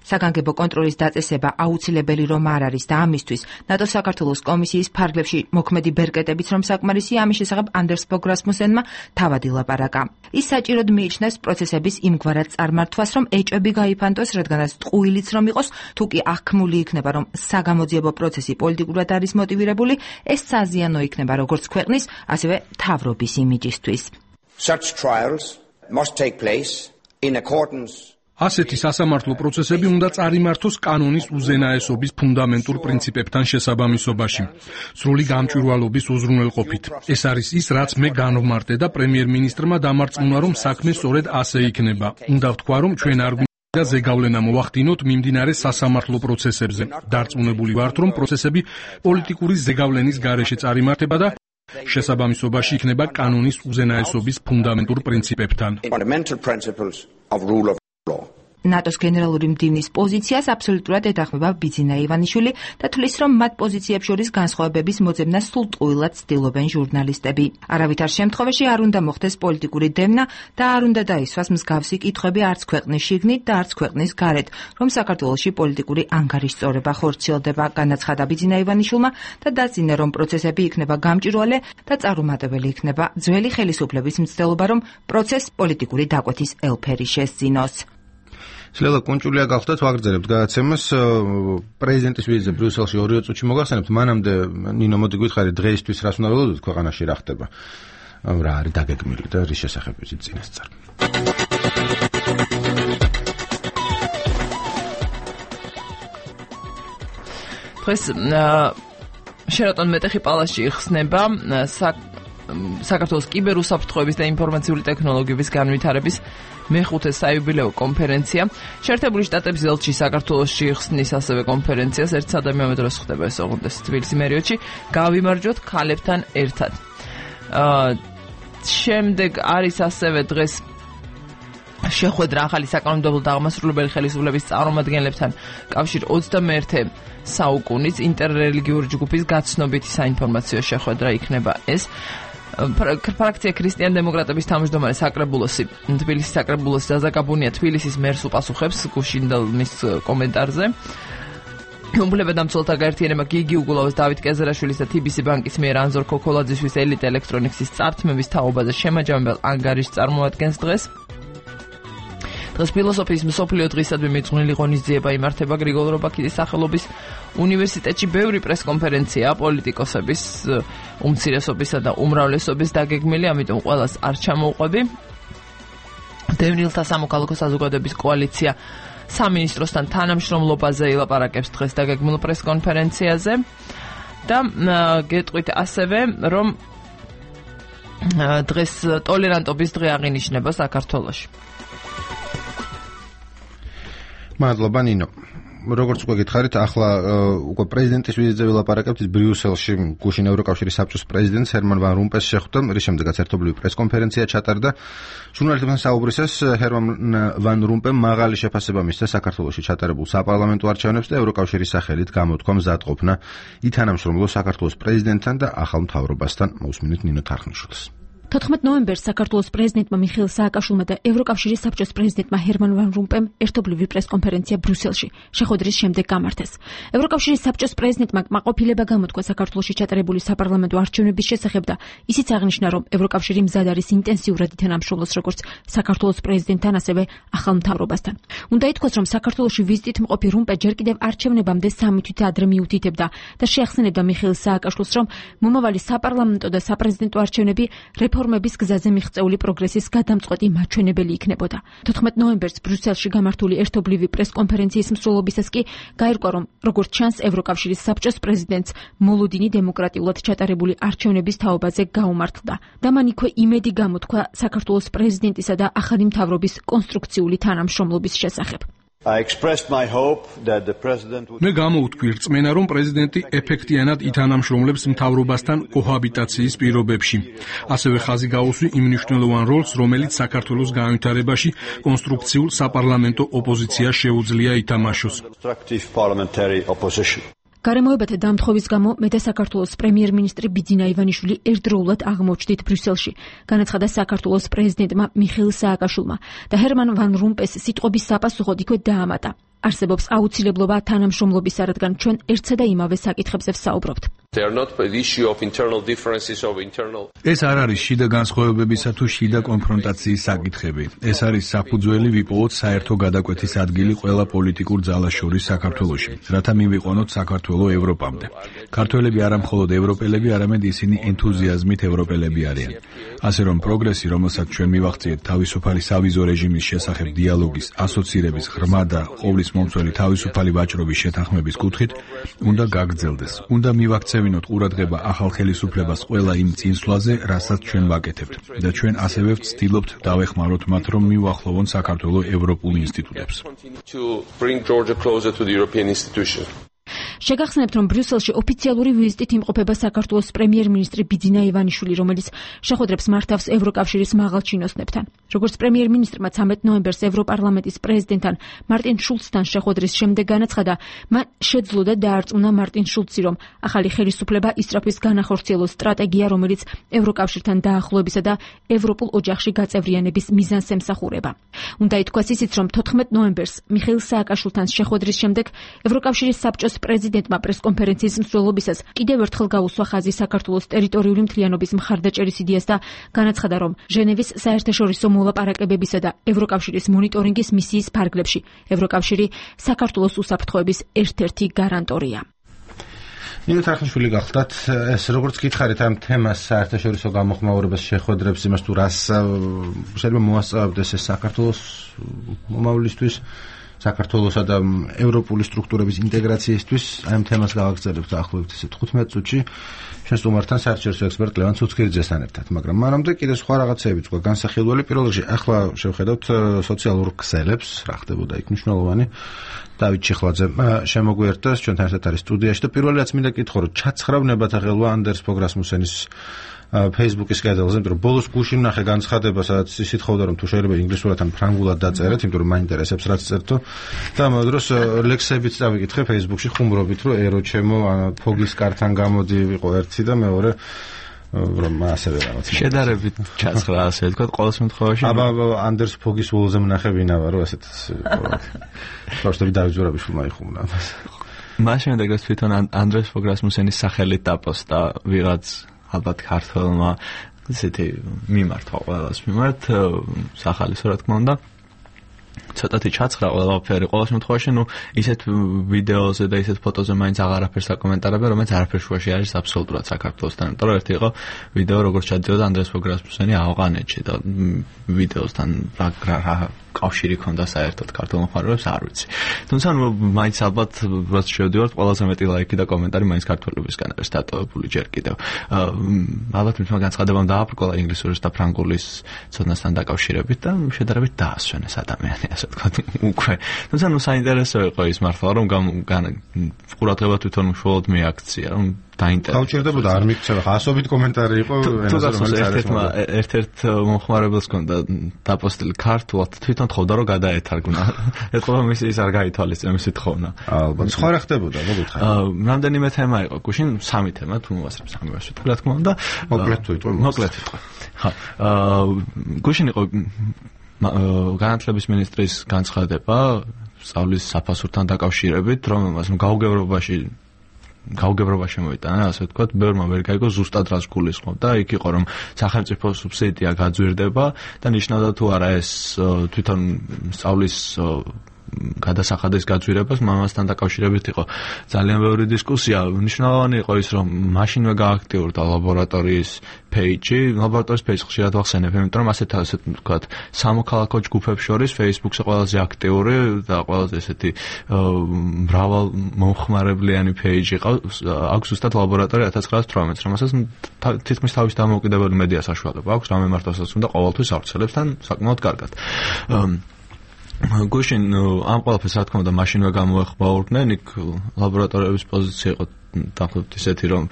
საგანგებო კონტროლის დაწესება აუცილებელი რომ არ არის და ამისთვის ნატოს საქართველოს კომისიის ფარგლებში მოქმედი ბერკეტებიც რომ საკმარისი, ამის შესახებ ანდერს ფოგ რასმუსენმა თავად ილაპარაკა. ის საჭიროდ მიიჩნევს პროცესების იმგვარად წარმართვას, რომ ეჭვები გაიფანტოს, რადგანაც ტყუილიც რომ იყოს, თუ კი აღქმული იქნება, რომ საგამოძიებო პროცესი პოლიტიკურად არის მოტივირებული, ეს საზიანო იქნება როგორც ქვეყნის, ასევე მთავრობის იმიჯისთვის. Such trials must take place in accordance ასეთი სასამართლო პროცესები უნდა წარიმართოს კანონის უზენაესობის ფუნდამენტურ პრინციპებთან შესაბამისობაში, სრული გამჭვირვალობის უზრუნველყოფით. ეს არის ის, რაც მე განვმარტე და პრემიერ-მინისტრმა დამარწმუნა, რომ საქმე სწორედ ასე იქნება. უნდა ვთქვა, რომ ჩვენ არ და ზეგავლენა მოვახდინოთ მიმდინარე სასამართლო პროცესებზე. დარწმუნებული ვართ, რომ პროცესები პოლიტიკური ზეგავლენის გარეშე წარიმართება და შესაბამისობაში იქნება კანონის უზენაესობის ფუნდამენტურ პრინციპებთან. ნატოს გენერალური მდივნის პოზიციას აბსოლუტურად ეთანხმება ბიძინა ივანიშვილი და თვლის, რომ მათ პოზიციებს შორის განსხვავებების მოძებნა სულ ტყუილად ცდილობენ ჟურნალისტები. არავითარ შემთხვევაში არ უნდა მოხდეს პოლიტიკური დევნა და არ უნდა დაისვას მსგავსი კითხვები არც ქვეყნის შიგნით და არც ქვეყნის გარეთ, რომ საქართველოში პოლიტიკური ანგარიშწორება ხორციელდება, განაცხადა ბიძინა ივანიშვილმა და დაწინა, რომ პროცესები იქნება გამჭვირვალე და წარუმატებელი იქნება ძველი ხელისუფლების მცდელობა, რომ პროცესს პოლიტიკური დაკვეთის ელფერი შესძინოს. შეიძლება კონჭულია გახდათ, ვაგრძელებთ გადაცემას. პრეზიდენტის ვიზიტზე ბრიუსელში ორი წუთში მოგახსენებთ. მანამდე ნინო მოდი გითხარი, დღეისთვის რას უნდა ველოდოთ ქვეყანაში რა ხდება? რა არის დაგეგმილი და რის შესახებ ვიზიტ წინასწარ. დღეს შერატონ მეტეხი პალასში იხსნება საქართველოს კიბერუსაფრთხოების და ინფორმაციული ტექნოლოგიების განვითარების მეხუთე საიუბილეო კონფერენცია. შეერთებული შტატების ელჩი საქართველოში იხსნის ასევე კონფერენციას. ერთ სადამე დროს ხდება ეს ოღონდ თბილისის მერიოტში. გავიმარჯვოთ ქალებთან ერთად. აა შემდეგ არის ასევე დღეს შეხვედრა ახალი საკანონმდებლო და აღმასრულებელი ხელისუფლების წარმომადგენლებთან კავშირ ოცდამეერთე საუკუნის ინტერრელიგიური ჯგუფის გაცნობითი საინფორმაციო შეხვედრა იქნება ეს. ფრაქცია ქრისტიან დემოკრატების თავმჯდომარე საკრებულოსი თბილისის საკრებულოსი ზაზაკაბუნია თბილისის მერს უპასუხებს გუშინდელმის კომენტარზე. უბლებედამცველთა გაერთიანება გიგი უგულავას, დავით კეზერაშვილის და თიბისი ბანკის მიერ ანზორ ქოქოლაძისთვის ელიტ ელექტრონიქსის წართმების თაობაზე შემაჯამებელ ანგარიშს წარმოადგენს დღეს. დღეს ფილოსოფიის მსოფლიო დღისადმი მიძღვნილი ღონისძიება იმართება გრიგოლ რობაქიძის სახელობის უნივერსიტეტში. ბევრი პრესკონფერენცია პოლიტიკოსების უმცირესობისა და უმრავლესობის დაგეგმილი, ამიტომ ყველას არ ჩამოუყვები. დევნილთა სამოქალაქო საზოგადოების კოალიცია სამინისტროსთან თანამშრომლობაზე ილაპარაკებს დღეს დაგეგმილ პრესკონფერენციაზე და გეტყვით ასევე, რომ დღეს ტოლერანტობის დღე აღინიშნება საქართველოში. მადლობა ნინო. როგორც უკვე გითხარით, ახლა უკვე პრეზიდენტის ვიზიტზე ვილაპარაკებთ ბრიუსელში. გუშინ ევროკავშირის საბჭოს პრეზიდენტს ჰერმან ვან რომპეს შეხვდა, რის შემდეგაც ერთობლივი პრესკონფერენცია ჩატარდა. ჟურნალისტებთან საუბრისას ჰერმან ვან რომპემ მაღალი შეფასება მისცა საქართველოში ჩატარებულ საპარლამენტო არჩევნებს და ევროკავშირის სახელით გამოთქვა მზადყოფნა ითანამშრომლოს საქართველოს პრეზიდენტთან და ახალ მთავრობასთან. მოусმინეთ ნინო თარხნიშვილს. თოთხმეტ ნოემბერს საქართველოს პრეზიდენტმა მიხეილ სააკაშვილმა და ევროკავშირის საბჭოს პრეზიდენტმა ჰერმან ვან რომპემ ერთობლივი პრესკონფერენცია ბრიუსელში შეხვედრის შემდეგ გამართეს. ევროკავშირის საბჭოს პრეზიდენტმა კმაყოფილება გამოთქვა საქართველოში ჩატარებული საპარლამენტო არჩევნების შესახებ და ისიც აღნიშნა, რომ ევროკავშირი მზად არის ინტენსიურად ითანამშრომლოს როგორც საქართველოს პრეზიდენტთან, ასევე ახალ მთავრობასთან. უნდა ითქვას, რომ საქართველოში ვიზიტით მყოფი რომპე ჯერ კიდევ არჩევნებამდე სამი თვით ადრე მიუთითებდა და შეახსენებდა მიხეილ სააკაშვილს, რომ მომავალი საპარლამენტო და საპრეზიდენტო არჩევნები რეფორმების გზაზე მიღწეული პროგრესის გადამწყვეტი მაჩვენებელი იქნებოდა. თოთხმეტ ნოემბერს ბრიუსელში გამართული ერთობლივი პრესკონფერენციის მსვლელობისას კი გაირკვა, რომ როგორც ჩანს, ევროკავშირის საბჭოს პრეზიდენტს მოლოდინი დემოკრატიულად ჩატარებული არჩევნების თაობაზე გაუმართლდა და მან იქვე იმედი გამოთქვა საქართველოს პრეზიდენტისა და ახალი მთავრობის კონსტრუქციული თანამშრომლობის შესახებ. მე გამოუთქვი რწმენა, რომ პრეზიდენტი ეფექტიანად ითანამშრომლებს მთავრობასთან კოჰაბიტაციის პირობებში. ასევე ხაზი გაუსვი იმ მნიშვნელოვან როლს, რომელიც საქართველოს განვითარებაში კონსტრუქციულ საპარლამენტო ოპოზიციას შეუძლია ითამაშოს. გარემოებათა დამთხოვის გამო მე და საქართველოს პრემიერ-მინისტრი ბიძინა ივანიშვილი ერთდროულად აღმოჩნდით ბრიუსელში, განაცხადა საქართველოს პრეზიდენტმა მიხეილ სააკაშვილმა და ჰერმან ვან რომპეს სიტყვების საპასუხოდ იქვე დაამატა. არსებობს აუცილებლობა თანამშრომლობისა, რადგან ჩვენ ერთსა და იმავე საკითხებზე ვსაუბრობთ. ეს არ არის შიდა განსხვავებებისა თუ შიდა კონფრონტაციის საკითხები. ეს არის საფუძველი ვიპოვოთ საერთო გადაკვეთის ადგილი ყველა პოლიტიკურ ძალას შორის საქართველოში, რათა მივიყვანოთ საქართველო ევროპამდე. ქართველები არა მხოლოდ ევროპელები, არამედ ისინი ენთუზიაზმით ევროპელები არიან. ასე რომ პროგრესი, რომელსაც ჩვენ მივახციეთ თავისუფალი სავიზო რეჟიმის შესახებ დიალოგის, ასოცირების, ღრმა და ყოვლის მომცველი თავისუფალი ვაჭრობის შეთანხმების კუთხით, უნდა გაგრძელდეს. უნდა მივაქცევინოთ ყურადღება ახალ ხელისუფლებას ყველა იმ წინსვლაზე, რასაც ჩვენ ვაკეთებთ და ჩვენ ასევე ვცდილობთ დავეხმაროთ მათ, რომ მიუახლოვონ საქართველოს ევროპულ ინსტიტუტებს. შეგახსენებთ, რომ ბრიუსელში ოფიციალური ვიზიტით იმყოფება საქართველოს პრემიერ-მინისტრი ბიძინა ივანიშვილი, რომელიც შეხვედრებს მართავს ევროკავშირის მაღალჩინოსნებთან. როგორც პრემიერ-მინისტრმა ცამეტ ნოემბერს ევროპარლამენტის პრეზიდენტთან მარტინ შულცთან შეხვედრის შემდეგ განაცხადა, მან შეძლო და დაარწმუნა მარტინ შულცი, რომ ახალი ხელისუფლება ისწრაფვის განახორციელოს სტრატეგია, რომელიც ევროკავშირთან დაახლოებისა და ევროპულ ოჯახში გაწევრიანების მიზანს ემსახურება. უნდა ითქვას ისიც, რომ თოთხმეტ ნოემბერს მიხეილ სააკაშვილთან შეხვედრის შემდეგ ევროკავშირის საბჭოს პრეზიდენტმა პრესკონფერენციის მსვლელობისას კიდევ ერთხელ გაუსვა ხაზი საქართველოს ტერიტორიული მთლიანობის მხარდაჭერის იდეას და განაცხადა, რომ ჟენევის საერთაშორისო მოლაპარაკებებისა და ევროკავშირის მონიტორინგის მისიის ფარგლებში ევროკავშირი საქართველოს უსაფრთხოების ერთ-ერთი გარანტორია. ნინო თარხნიშვილი გახლდათ, ეს როგორც გითხარით ამ თემას საერთაშორისო გამოხმაურებას შეხვედრებს იმას თუ რას შეიძლება მოასწავებდეს ეს საქართველოს მომავლისთვის, საქართველოსა და ევროპული სტრუქტურების ინტეგრაციისთვის, აი ამ თემას გავაგრძელებთ დაახლოებით ესე თხუთმეტ წუთში ჩვენ სტუმართან საერთაშორისო ექსპერტ ლევან ცუცქირიძესთან ერთად, მაგრამ მანამდე კიდე სხვა რაღაცეები თქვა განსახილველი. პირველ რიგში ახლა შევხედავთ სოციალურ ქსელებს, რა ხდებოდა იქ მნიშვნელოვანი. დავით ჩიხლაძე შემოგვიერთდა, ჩვენთან ერთად არის სტუდიაში და პირველი რაც მინდა კითხო, რომ ჩაცხრა ნებათაღელვა ანდერს ფოგრასმუსენის Facebook-ის კედელზე, იმიტომ რომ ბოლოს გუშინ ნახე განცხადება, სადაც ის ითხოვდა, რომ თუ შეიძლება ინგლისურად ან ფრანგულად დაწერეთ, იმიტომ რომ მაინტერესებს რაც წერტო. და ამ დროს ლექსებიც დავიკითხე Facebook-ში ხუმრობით, რომ ერო ჩემო ფოგის კართან გამოდი ვიყო ერთი და მეორე რომ ასევე რაღაც შედარებით ჩაცხრა, ასე ვთქვათ, ყოველ შემთხვევაში. აბა ანდერს ფოგის ულზე მნახე ვინავა, რომ ასეთ პროსტები დავით ზურაბიშვილმა იხუმნა. მას შემდეგ ეს თვითონ ანდრეს ფოგრასმუსენის სახელით დაპოსტა ვიღაც ალბათ ქართველმა ესეთი მიმართვა ყველას მიმართ სახალისო რა თქმა უნდა ცოტათი ჩაცხრა ყველაფერი ყოველ შემთხვევაში ნუ ისეთ ვიდეოზე და ისეთ ფოტოზე მაინც აღარაფერს აკომენტარებენ რომელიც არაფერ შუაში არის აბსოლუტურად საქართველოსთან იმიტომ რომ ერთი იყო ვიდეო როგორც ჩადიოდა ანდრეს ფოგრასმუსენი ავღანეთში და ვიდეოსთან რა კავშირი ქონდა საერთოდ ქართულ მოხარებებს არ ვიცი. თუმცა ნუ მაინც ალბათ რაც შევდივართ ყველაზე მეტი ლაიქი და კომენტარი მაინც ქართველებისგან არის დატოვებული ჯერ კიდევ. ალბათ მithმა განცხადებამ დააბრკოლა ინგლისურის და ფრანგულის ცოდნასთან დაკავშირებით და შედარებით დაასვენეს ადამიანი ასე ვთქვათ უკვე. თუმცა ნუ საინტერესო იყო ის მართლა რომ ყურადღება თვითონ უშუალოდ მიაქცია რომ დაინტერესდა. გაუჭირდებოდა არ მიქცევა, ასობით კომენტარი იყო ენაზე რომელიც არის. ერთ-ერთ მომხმარებელს ჰქონდა დაპოსტილი ქართულად, თვითონ თხოვდა რომ გადაეთარგმნა. ეთქვა მის ის არ გაითვალისწინა მისი თხოვნა. ალბათ. სხვა რა ხდებოდა, მოგითხარ. რამდენიმე თემა იყო, გუშინ სამი თემა, თუ მოვასწრებ სამი ვასვით, რა თქმა უნდა. მოკლედ თუ იტყვი. მოკლედ იტყვი. ხა. აა გუშინ იყო განათლების მინისტრის განცხადება სწავლის საფასურთან დაკავშირებით, რომელმაც გაუგებრობაში გაუგებრობა შემოიტანა, ასე ვთქვათ, ბევრმა ვერ გაიგო ზუსტად რას გულისხმობდა. იქ იყო რომ სახელმწიფო სუბსიდია გაძვირდება და ნიშნავდა თუ არა ეს თვითონ სწავლის გადასახადის გაძვირებას მამასთან დაკავშირებით იყო ძალიან ბევრი დისკუსია. მნიშვნელოვანი იყო ის რომ მაშინვე გააქტიურდა ლაბორატორიის page-ი, ლაბორატორიის page ხშირად ვახსენებ, იმიტომ რომ ასეთ ასეთ ვთქვათ, სამოქალაქო ჯგუფებს შორის Facebook-ზე ყველაზე აქტიური და ყველაზე ესეთი მრავალ მომხმარებლიანი page იყო. აქვს ზუსტად ლაბორატორია ათას ცხრაას თვრამეტს, რომელსაც თითქმის თავის დამოუკიდებელი მედია საშუალება აქვს, რამე მართლაც უნდა ყოველთვის ავრცელებს თან საკმაოდ კარგად. გუშინ ამ ყველაფერს რა თქმა უნდა მაშინვე გამოეხმაურდნენ, იქ ლაბორატორიების პოზიცია იყო დაახლოებით ისეთი, რომ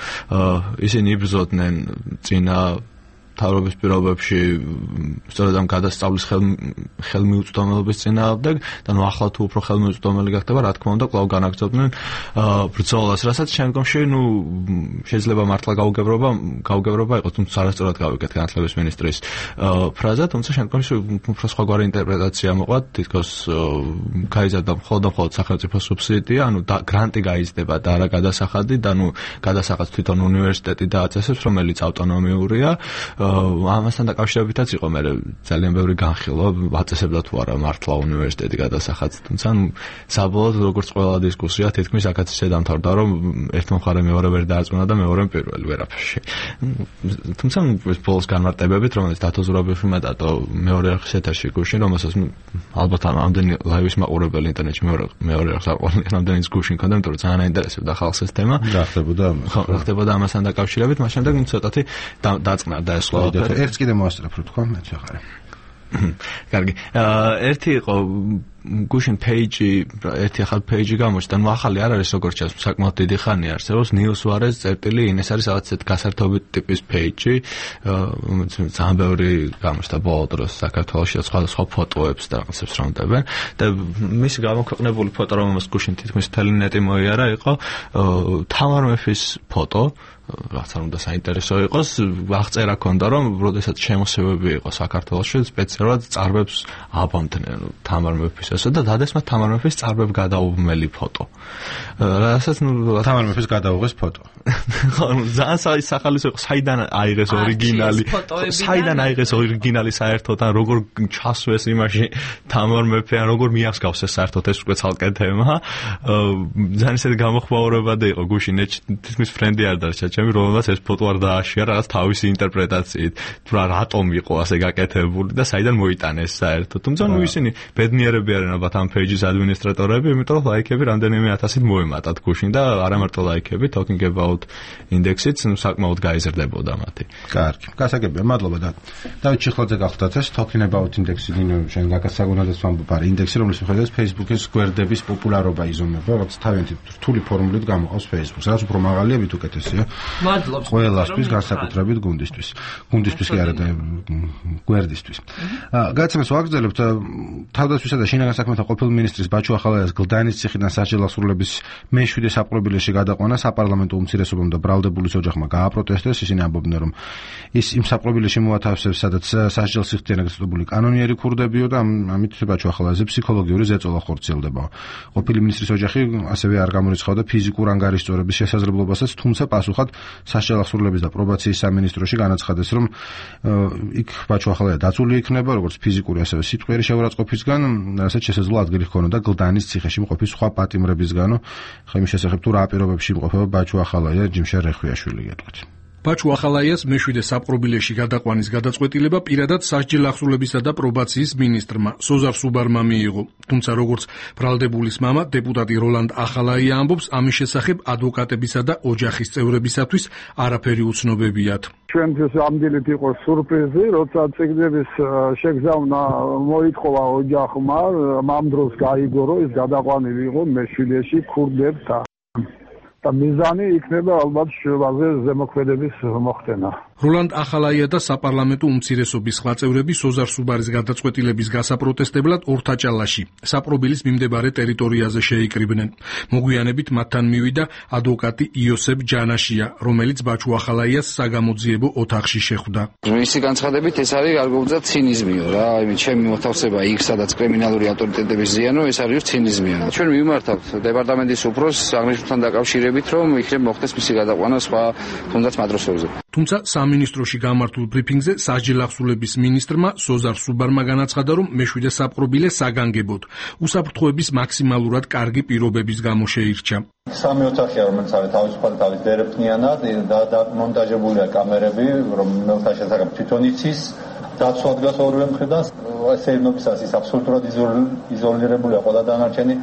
ისინი იბრძოდნენ წინა თავრობის პირობებში სწორედ ამ გადასწავლის ხელმიუწვდომელობის წინააღმდეგ და ნუ ახლა თუ უფრო ხელმიუწვდომელი გახდება, რა თქმა უნდა, კვლავ განაგრძობდნენ ბრძოლას, რასაც შემდგომში ნუ შეიძლება მართლა გაუგებრობა გაუგებრობა იყოს, თუმცა არასწორად გავიგეთ განათლების მინისტრის ფრაზა, თუმცა შემდგომში უფრო სხვაგვარი ინტერპრეტაცია მოყვა, თითქოს გაიზარდა მხოლოდ და მხოლოდ სახელმწიფო სუბსიდია, ანუ გრანტი გაიზრდება და არა გადასახადი და ნუ გადასახადს თვითონ უნივერსიტეტი დააწესებს, რომელიც ავტონომიურია. ამასთან დაკავშირებითაც იყო მე ძალიან ბევრი განხილვა, აწესებდა თუ არა მართლა უნივერსიტეტი გადასახადს, თუმცა საბოლოოდ როგორც ყველა დისკუსია თითქმის აქაც ისე დამთავრდა, რომ ერთ მხარე მეორე ვერ დაარწმუნა და მეორე პირველი ვერაფერში. თუმცა ეს ბოლოს განმარტებებით, რომელიც დათო ზურაბიშვილმა დატო მეორე არხის ეთერში გუშინ, რომელსაც ალბათ ამდენი ლაივის მაყურებელი ინტერნეტში მეორე მეორე არხს არ ყოფილა, ამდენი გუშინ ქონდა, იმიტომ რომ ძალიან აინტერესებდა ხალხს ეს თემა. რა ხდებოდა? რა ხდებოდა ამასთან დაკავშირებით, მას შემდეგ ცოტათი დაწყნარდა ეს ყველაფერი. ერთს კიდე მოასწრებ რო თქვა, მეც ვეღარ. კარგი. ერთი იყო გუშინ page-ი, ერთი ახალ page-ი გამოჩნდა, ნუ ახალი არ არის როგორც ჩანს, საკმაოდ დიდი ხანია არსებობს, newswires წერტილი in, ეს არის რაღაც გასართობი ტიპის page-ი, ძალიან ბევრი გამოჩნდა ბოლო დროს საქართველოში სხვადასხვა ფოტოებს და რაღაცებს რომდებენ და მისი გამოქვეყნებული ფოტო, რომელსაც გუშინ თითქმის მთელი ნეტი მოიარა, იყო თამარ მეფის ფოტო, რაც არ უნდა საინტერესო იყოს, აღწერა ქონდა, რომ როდესაც შემოსევები იყო საქართველოში, სპეციალურად წარბებს აბამდნენ თამარ მეფისასა და დადესმა თამარ მეფის წარბებ გადაუმელი ფოტო. რასაც ნუ თამარ მეფის გადაუღეს ფოტო. ხო, ძალიან სახალისო იყო, საიდან აიღეს ორიგინალი, საიდან აიღეს ორიგინალი საერთოდ, ან როგორ ჩასვეს იმაში თამარ მეფე, ან როგორ მიახსგავსეს საერთოდ ეს უკვე ცალკე თემა. ძალიან ისეთი გამოხმაურებადი იყო გუშინ, თითქმის ფრენდი არ დარჩა ჩემი, რომელსაც ეს ფოტო არ დააშია რაღაც თავისი ინტერპრეტაციით, თუ რა რატომ იყო ასე გაკეთებული და საიდან მოიტანეს საერთოდ. თუმცა ნუ ისინი ბედნიერები არიან ალბათ ამ page-ის ადმინისტრატორები, იმიტომ რომ ლაიქები რამდენიმე ათასით მოემატათ გუშინ და არა მარტო ლაიქები, talking about index-იც საკმაოდ გაიზრდებოდა მათი. კარგი. გასაგებია, მადლობა და დავით ჩიხლაძე გახლდათ ეს talking about index-ი, ნინო შენ გაკასაგონადას ვამბობ, არის ინდექსი, რომლის მიხედვით Facebook-ის გვერდების პოპულარობა იზომება, რაც თავიანთი რთული ფორმულით გამოყავს Facebook-ს. რაც უფრო მაღალია, მით უკეთესია. მადლობს ყველასთვის, განსაკუთრებით გუნდისთვის. გუნდისთვის კი არა და გვერდისთვის. გადაცემას ვაგრძელებთ თავდაცვისა და შინაგან საქმეთა ყოფილ მინისტრის ბაჩუ ახალაიას გლდანის ციხიდან სასჯელ აღსრულების მეშვიდე საპყრობილეში გადაყვანა საპარლამენტო უმცირესობამ და ბრალდებულის ოჯახმა გააპროტესტეს. ისინი ამბობდნენ, რომ ის იმ საპყრობილეში მოათავსებს, სადაც სასჯელს იხდიან გასწავლებული კანონიერი ქურდებიო და ამით ბაჩუ ახალაიაზე ფსიქოლოგიური ზეწოლა ხორციელდება. ყოფილი მინისტრის ოჯახი ასევე არ გამორიცხავდა ფიზიკურ ანგარიშწორების შესაძლებლობასაც, თუმცა პასუხად სასჯელ აღსრულების და პრობაციის სამინისტროში განაცხადეს, რომ იქ ბაჩუ ახალაია დაცული იქნება როგორც ფიზიკური, ასევე სიტყვიერი შეურაცხყოფისგან, რასაც შესაძლოა ადგილი ჰქონოდა გლდანის ციხეში მყოფი სხვა პატიმრებისგანო. ხა იმის შესახებ თუ რა პირობებში იმყოფება ბაჩუ ახალაია, ჯიმშარ რეხვიაშვილი გეტყვით. ბაჩუ ახალაიას მეშვიდე საპყრობილეში გადაყვანის გადაწყვეტილება პირადად სასჯელ აღსრულებისა და პრობაციის მინისტრმა სოზარ სუბარმა მიიღო. თუმცა როგორც ბრალდებულის მამა, დეპუტატი როლანდ ახალაია ამბობს, ამის შესახებ ადვოკატებისა და ოჯახის წევრებისათვის არაფერი უცნობებიათ. ჩვენთვის ამდენით იყო სურპრიზი, როცა წიგნების შეგზავნა მოითხოვა ოჯახმა, ამ დროს გაიგო, რომ ის გადაყვანილი იყო მეშვიდეში ქურდებთან. და მიზანი იქნება ალბათ შევაზე ზემოქმედების მოხდენა. როლანდ ახალაია და საპარლამენტო უმცირესობის სხვა წევრები სოზარ სუბარის გადაწყვეტილების გასაპროტესტებლად ორთაჭალაში, საპყრობილის მიმდებარე ტერიტორიაზე შეიკრიბნენ. მოგვიანებით მათთან მივიდა ადვოკატი იოსებ ჯანაშია, რომელიც ბაჩუ ახალაიას საგამოძიებო ოთახში შეხვდა. მისი განცხადებით ეს არის გარკვეულწილად ცინიზმიო რა, იმით ჩემი მოთავსება იქ, სადაც კრიმინალური ავტორიტეტების ზიანო, ეს არის ცინიზმია. ჩვენ მივმართავთ დეპარტამენტის უფროსს აღნიშნულთან დაკავშირებით, რომ იქნებ მოხდეს მისი გადაყვანა სხვა თუნდაც მატროსებზე. თუმცა სამინისტროში გამართულ ბრიფინგზე სასჯელ აღსრულების მინისტრმა სოზარ სუბარმა განაცხადა, რომ მეშვიდე საპყრობილე საგანგებოდ უსაფრთხოების მაქსიმალურად კარგი პირობების გამო შეირჩა. სამი ოთახია, რომელიც არის თავისუფალი თავის დერეფნიანად და მონტაჟებულია კამერები, რომელთა შესახებ თვითონ იცის. დაცვა დგას ორივე მხრიდან, სეირნობისას ის აბსოლუტურად იზოლირებულია ყველა დანარჩენი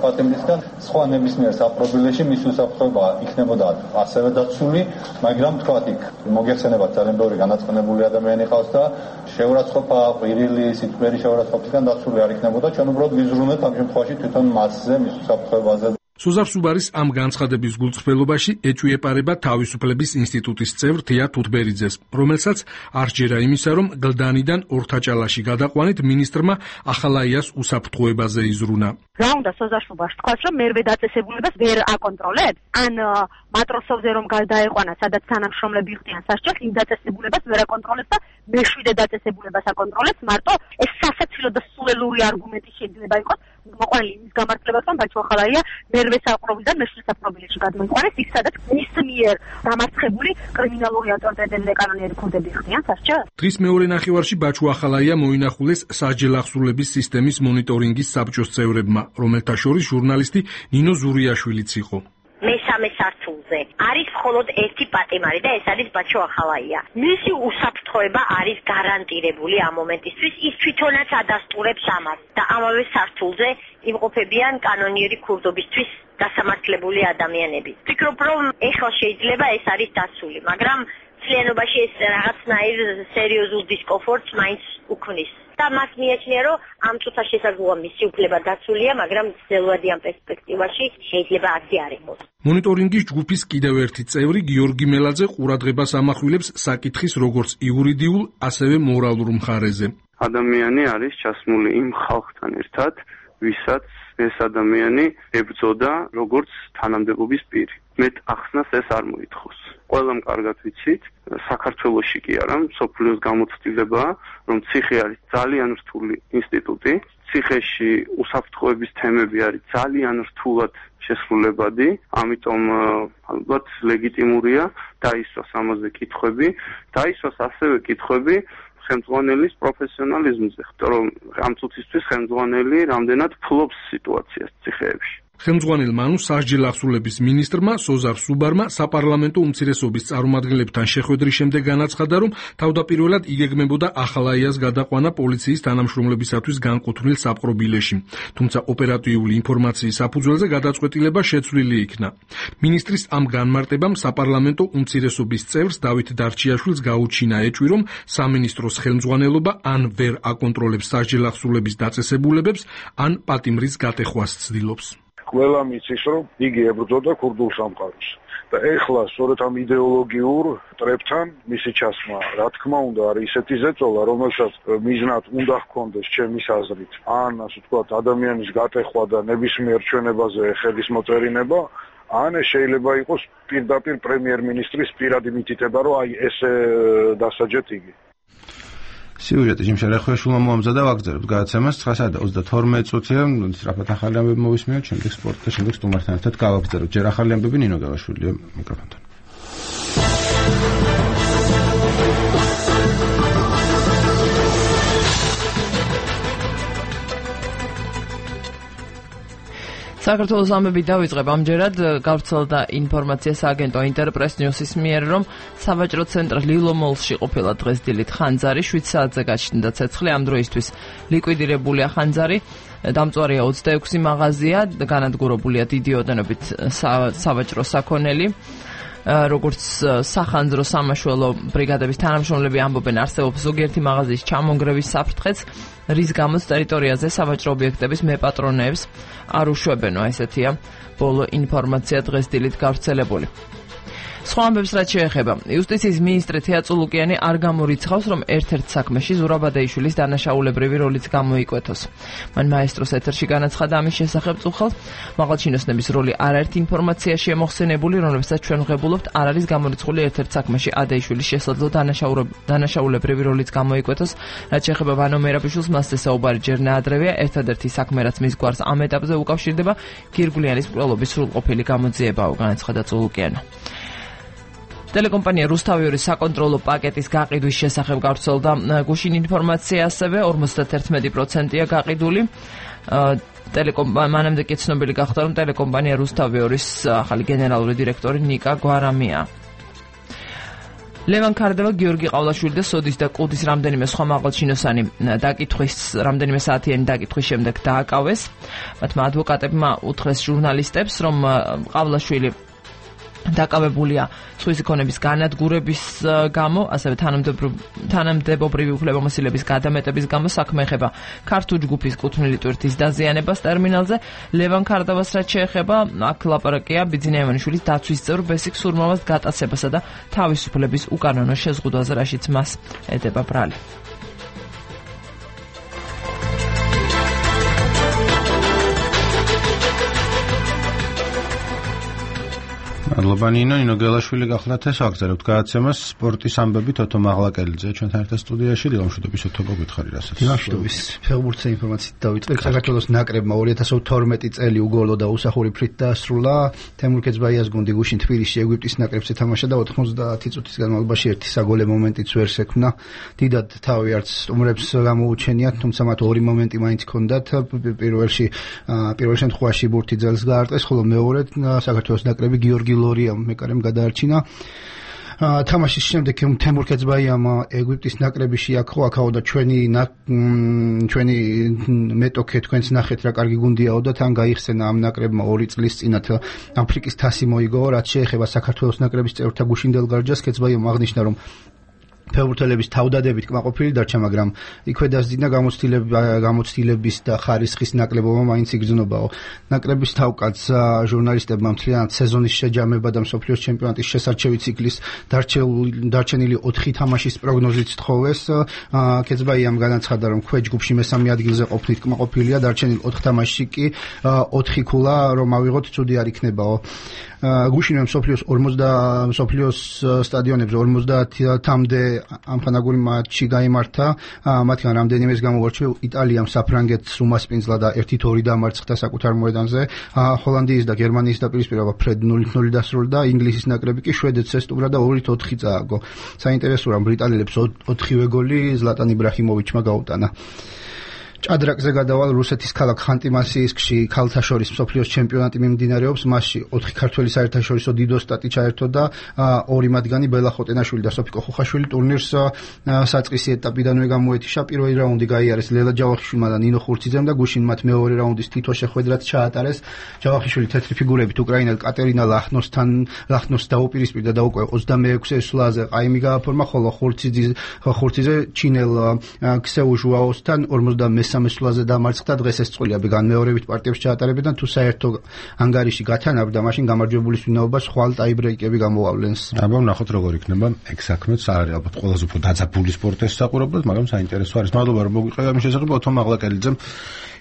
პატიმრისგან. სხვა ნებისმიერ საპყრობილეში მის უსაფრთხოება იქნებოდა ასევე დაცული, მაგრამ თქვათ იქ მოგეხსენებათ ძალიან ბევრი განაცხენებული ადამიანი ყავს და შეურაცხყოფა, ყვირილი, სიტყვიერი შეურაცხყოფისგან დაცული არ იქნებოდა. ჩვენ უბრალოდ ვიზრუნეთ ამ შემთხვევაში თვითონ მასზე, მის უსაფრთხოებაზე. სოზარ სუბარის ამ განცხადების გულწრფელობაში ეჭვიეპარება თავისუფლების ინსტიტუტის წევრ თია თუთბერიძეს, რომელსაც არ ჯერა იმისა, რომ გლდანიდან ორთაჭალაში გადაყვანით მინისტრმა ახალაიას უსაფრთხოებაზე იზრუნა. რა უნდა სოზარ სუბარს თქვას, რომ მერვე დაწესებულებას ვერ აკონტროლებს? ან მატროსოვზე რომ გადაეყვანა, სადაც თანამშრომლები ხდიან სასჯელს, იმ დაწესებულებას ვერ აკონტროლებს და მეშვიდე დაწესებულებას აკონტროლებს, მარტო ეს სასაცილო და სულელური არგუმენტი შეიძლება იყოს მოყვანილი იმის გამართლებას, რომ ბაჩო ახალაია მერვე საპყრობილიდან მეშვიდე საპყრობილებში გადმოიყვანეს, იქ სადაც მის მიერ დამარცხებული კრიმინალური ავტორიტეტები და კანონიერი ქურდები ხდიან სასჯელს. დღის მეორე ნახევარში ბაჩო ახალაია მოინახულეს სასჯელ ახსრულების სისტემის მონიტორინგის საბჭოს წევრებმა, რომელთა შორის ჟურნალისტი ნინო ზურიაშვილიც იყო. მესამე სართულზე არის მხოლოდ ერთი პატიმარი და ეს არის ბაჩო ახალაია. მისი უსაფრთხოება არის გარანტირებული ამ მომენტისთვის, ის თვითონაც ადასტურებს ამას და ამავე სართულზე იმყოფებიან კანონიერი ქურდობისთვის დასამართლებული ადამიანები. ვფიქრობ, რომ ეხლა შეიძლება ეს არის დასული, მაგრამ ცლიანობაში ეს რაღაცნაირ სერიოზულ დისკომფორტს მაინც უქმნის. და მას მიაჩნია, რომ ამ წუთას შესაძლოა მისი უფლება დაცულია, მაგრამ ძელვადიან პერსპექტივაში შეიძლება ასე არ იყოს. მონიტორინგის ჯგუფის კიდევ ერთი წევრი გიორგი მელაძე ყურადღებას ამახვილებს საკითხის როგორც იურიდიულ, ასევე მორალურ მხარეზე. ადამიანი არის ჩასმული იმ ხალხთან ერთად, ვისაც ეს ადამიანი ებრძოდა როგორც თანამდებობის პირი. მეტ ახსნას ეს არ მოითხოვს. ყველამ კარგად ვიცით, საქართველოში კი არა, მსოფლიოს გამოცდილებაა, რომ ციხე არის ძალიან რთული ინსტიტუტი, ციხეში უსაფრთხოების თემები არის ძალიან რთულად შესრულებადი, ამიტომ ალბათ ლეგიტიმურია დაისვას ამაზე კითხვები, დაისვას ასევე კითხვები ხელმძღვანელის პროფესიონალიზმზე, იმიტომ რომ ამ წუთისთვის ხელმძღვანელი რამდენად ფლობს სიტუაციას ციხეებში. ხელმძღვანელმა ანუ სასჯელ ახსრულების მინისტრმა სოზარ სუბარმა საპარლამენტო უმცირესობის წარმომადგენლებთან შეხვედრის შემდეგ განაცხადა, რომ თავდაპირველად იგეგმებოდა ახალაიას გადაყვანა პოლიციის თანამშრომლებისათვის განკუთვნილ საპყრობილეში, თუმცა ოპერატიული ინფორმაციის საფუძველზე გადაწყვეტილება შეცვლილი იქნა. მინისტრის ამ განმარტებამ საპარლამენტო უმცირესობის წევრს დავით დარჩიაშვილს გაუჩინა ეჭვი, რომ სამინისტროს ხელმძღვანელობა ან ვერ აკონტროლებს სასჯელ ახსრულების დაწესებულებებს, ან პატიმრის გატეხვას ცდილობს. ყველა მიცის, რომ იგი ებრძოდა ქურდულ სამყაროს. და ეხლა სწორედ ამ იდეოლოგიურ ტრებთან მისი ჩასმა, რა თქმა უნდა, არის ისეთი ზეწოლა, რომელსაც მიზნად უნდა ჰქონდეს ჩემის აზრით, ან ასე ვთქვათ, ადამიანის გატეხვა და ნებისმიერ ჩვენებაზე ხელის მოწერინება, ან შეიძლება იყოს პირდაპირ პრემიერ-მინისტრის პირადი მითითება, რომ აი ესე დასაჯეთ იგი. სიუჟეტი ჯიმშა რახვეშულმა მოამზადა ვაგრძელებთ გადაცემას ცხრა საათი და ოცდათორმეტ წუთია, სწრაფად ახალი ამბები მოვისმინოთ, შემდეგ სპორტი და შემდეგ სტუმართან ერთად გავაგრძელებთ. ჯერ ახალი ამბები ნინო გელაშვილია მიკროფონთან. საქართველოს ამბები დავიწყებ ამჯერად გავრცელდა ინფორმაცია სააგენტო ინტერპრეს ნიუსის მიერ, რომ სავაჭრო ცენტრ ლილომოლში ყოფილა დღეს დილით ხანძარი, შვიდ საათზე გაჩნდა ცეცხლი, ამ დროისთვის ლიკვიდირებულია ხანძარი, დამწვარია ოცდაექვსი მაღაზია, განადგურებულია დიდი ოდენობით სავაჭრო საქონელი. როგორც სახანძრო სამაშველო ბრიგადების თანამშრომლები ამბობენ, არსებობს ზოგიერთი მაღაზიის ჩამონგრევის საფრთხეც, რის გამოც ტერიტორიაზე სავაჭრო ობიექტების მეპატრონეებს არ უშვებენო, ესეთია ბოლო ინფორმაცია დღეს დილით გავრცელებული. სხვა ამბებს რაც შეეხება, იუსტიციის მინისტრი თეა წულუკიანი არ გამორიცხავს, რომ ერთ-ერთ საქმეში ზურაბადეიშვილის დანაშაულებრივი როლიც გამოიკვეთოს. მან მაესტროს ეთერში განაცხადა ამის შესახებ წუხელს, მაღალჩინოსნების როლი არაერთ ინფორმაციაშია მოხსენებული, რომლებსაც ჩვენ ვღებულობთ, არ არის გამორიცხული ერთ-ერთ საქმეში ადეიშვილის შესაძლო დანაშაულებრივი როლიც გამოიკვეთოს. რაც შეეხება ვანო მერაბიშვილს, მასზე საუბარი ჯერ ნაადრევია, ერთადერთი საქმე რაც მის გვარს ამ ეტაპზე უკავშირდება, გირგვლიანის მკვლელობის სრულყოფილი გამოძიებაა, განაცხადა წულუკიანმა. ტელეკომპანია რუსთავიორის საკონტროლო პაკეტის გაყიდვის შესახებ გავრცელდა გუშინ ინფორმაცია, ასევე ორმოცდაერთი პროცენტია გაყიდული. მანამდე კი ცნობილი გახდა, რომ ტელეკომპანია რუსთავიორის ახალი გენერალური დირექტორი ნიკა გვარამია. ლევან ქარდევა, გიორგი ყავლაშვილი და სოდის და კუდის რამდენიმე სხვა მაღალჩინოსანი დაკითხვის, რამდენიმე საათიანი დაკითხვის შემდეგ დააკავეს. მათმა ადვოკატებმა უთხრეს ჟურნალისტებს, რომ ყავლაშვილი დაკავებულია სხვისი ქონების განადგურების გამო, ასევე თანამდებობრივი უფლებამოსილების გადამეტების გამო საქმე ეხება ქართულ ჯგუფის კუთვნილი ტვირთის დაზიანებას ტერმინალზე. ლევან ქარდავას რაც შეეხება, აქ ლაპარაკია ბიძინა ივანიშვილის დაცვის წევრ ბესიკ სურმავას გატაცებასა და თავისუფლების უკანონო შეზღუდვაზე, რაშიც მას ეტება ბრალი. მადლობა ნინო, ნინო გელაშვილი გახლდათ ეს აგზავნებთ გადაცემას სპორტის ამბები თოთო მაღლაკელიძე ჩვენთან ერთად სტუდიაში. დილამშვიდობის თოთო გითხარი რასაც. დილამშვიდობის ფეხბურთზე ინფორმაციით დავიწყებ. საქართველოს ნაკრებმა ორი ათას თორმეტი წელი უგოლო და უსახური ფრით დაასრულა. თემურ ქეძბაიას გუნდი გუშინ თბილისში ეგვიპტის ნაკრებს ეთამაშა და ოთხმოცდაათი წუთის განმავლობაში ერთი საგოლე მომენტიც ვერ შექმნა. დიდად თავი არც სტუმრებს გამოუჩენიათ, თუმცა მათ ორი მომენტი მაინც ჰქონდათ. პირველში პირველ შემთხვევაში ბურთი ძელს გაარტყეს, ხოლო მეორედ საქართველოს ნაკრები გიორგი ლორიამ მეკარემ გადაარჩინა. თამაშის შემდეგ თემურ ქეძბაიამ ეგვიპტის ნაკრები შეაქრო, აქაო და ჩვენი ჩვენი მეტოქე თქვენც ნახეთ რა კარგი გუნდიაო და თან გაიხსენა ამ ნაკრებმა ორი წლის წინათ აფრიკის თასი მოიგო. რაც შეეხება საქართველოს ნაკრების წევრთა გუშინდელ გარჯას, ქეძბაიამ აღნიშნა, რომ ფეხბურთელების თავდადებით კმაყოფილი დარჩა, მაგრამ იქვე დასძინა გამოცდილების და ხარისხის ნაკლებობა მაინც იგრძნობაო. ნაკრების თავკაც ჟურნალისტებმა მთლიანად სეზონის შეჯამება და მსოფლიოს ჩემპიონატის შესარჩევი ციკლის დარჩენილი ოთხი თამაშის პროგნოზით თხოვეს. ქეძბაიამ განაცხადა, რომ ქვეჯ ჯგუფში მესამე ადგილზე ყოფნით კმაყოფილია, დარჩენილ ოთხ თამაშში კი ოთხი ქულა რომ ავიღოთ ცუდი არ იქნებაო. გუშინვე მსოფლიოს ორმოცდა მსოფლიოს სტადიონებზე ორმოცდაათამდე ამხანაგური მატჩი გაიმართა, მათგან რამდენიმეს გამოვარჩევ იტალიამ საფრანგეთს უმასპინძლა და ერთით ორი დამარცხდა საკუთარ მოედანზე. ჰოლანდიის და გერმანიის დაპირისპირება ფრედ ნულით ნული დასრულდა, ინგლისის ნაკრები კი შვედეთს ესტუმრა და ორით ოთხი წააგო. საინტერესოა, რომ ბრიტანელებს ოთხივე გოლი ზლატან იბრაჰიმოვიჩმა გაუტანა. ჭადრაკზე გადავალ რუსეთის ქალაქ ხანტი-მანსიისკში ქალთა შორის მსოფლიოს ჩემპიონატი მიმდინარეობს. მასში ოთხი ქართველი საერთაშორისო დიდო სტატი ჩაერთო და ორი მათგანი ბელა ხოტენაშვილი და სოფიკო ხუხაშვილი ტურნირს საწყისი ეტაპიდანვე გამოეთიშა. პირველი რაუნდი გაიარეს ლელა ჯავახიშვილმა და ნინო ხურციძემ და გუშინ მათ მეორე რაუნდის თითო შეხვედრაც ჩაატარეს. ჯავახიშვილი თეთრი ფიგურებით უკრაინელ კატერინა ლახნოსთან ლახნოს დაუპირისპირდა და უკვე ოცდამეექვსე სვლაზე ყაიმი გააფორმა, ხოლო ხურციძე ხურციძე ჩინელ ქსეუ ჟუაოსთან ორმოცდამესამე სამესვლაზე დამარცხდა. დღეს ეს წყვილი განმეორებით პარტიებს ჩაატარებდნენ, თუ საერთო ანგარიში გათანაბრდა, მაშინ გამარჯვებულის ვინაობას ხვალ ტაიბრეიკები გამოავლენს. აბა ვნახოთ როგორ იქნება ეგ საქმეც. არის ალბათ ყველაზე უფრო დაძაბული სპორტის საყურებლად, მაგრამ საინტერესო არის. მადლობა რომ მოგვიყევი ამის შესახებ. თო მაღლაკელიძემ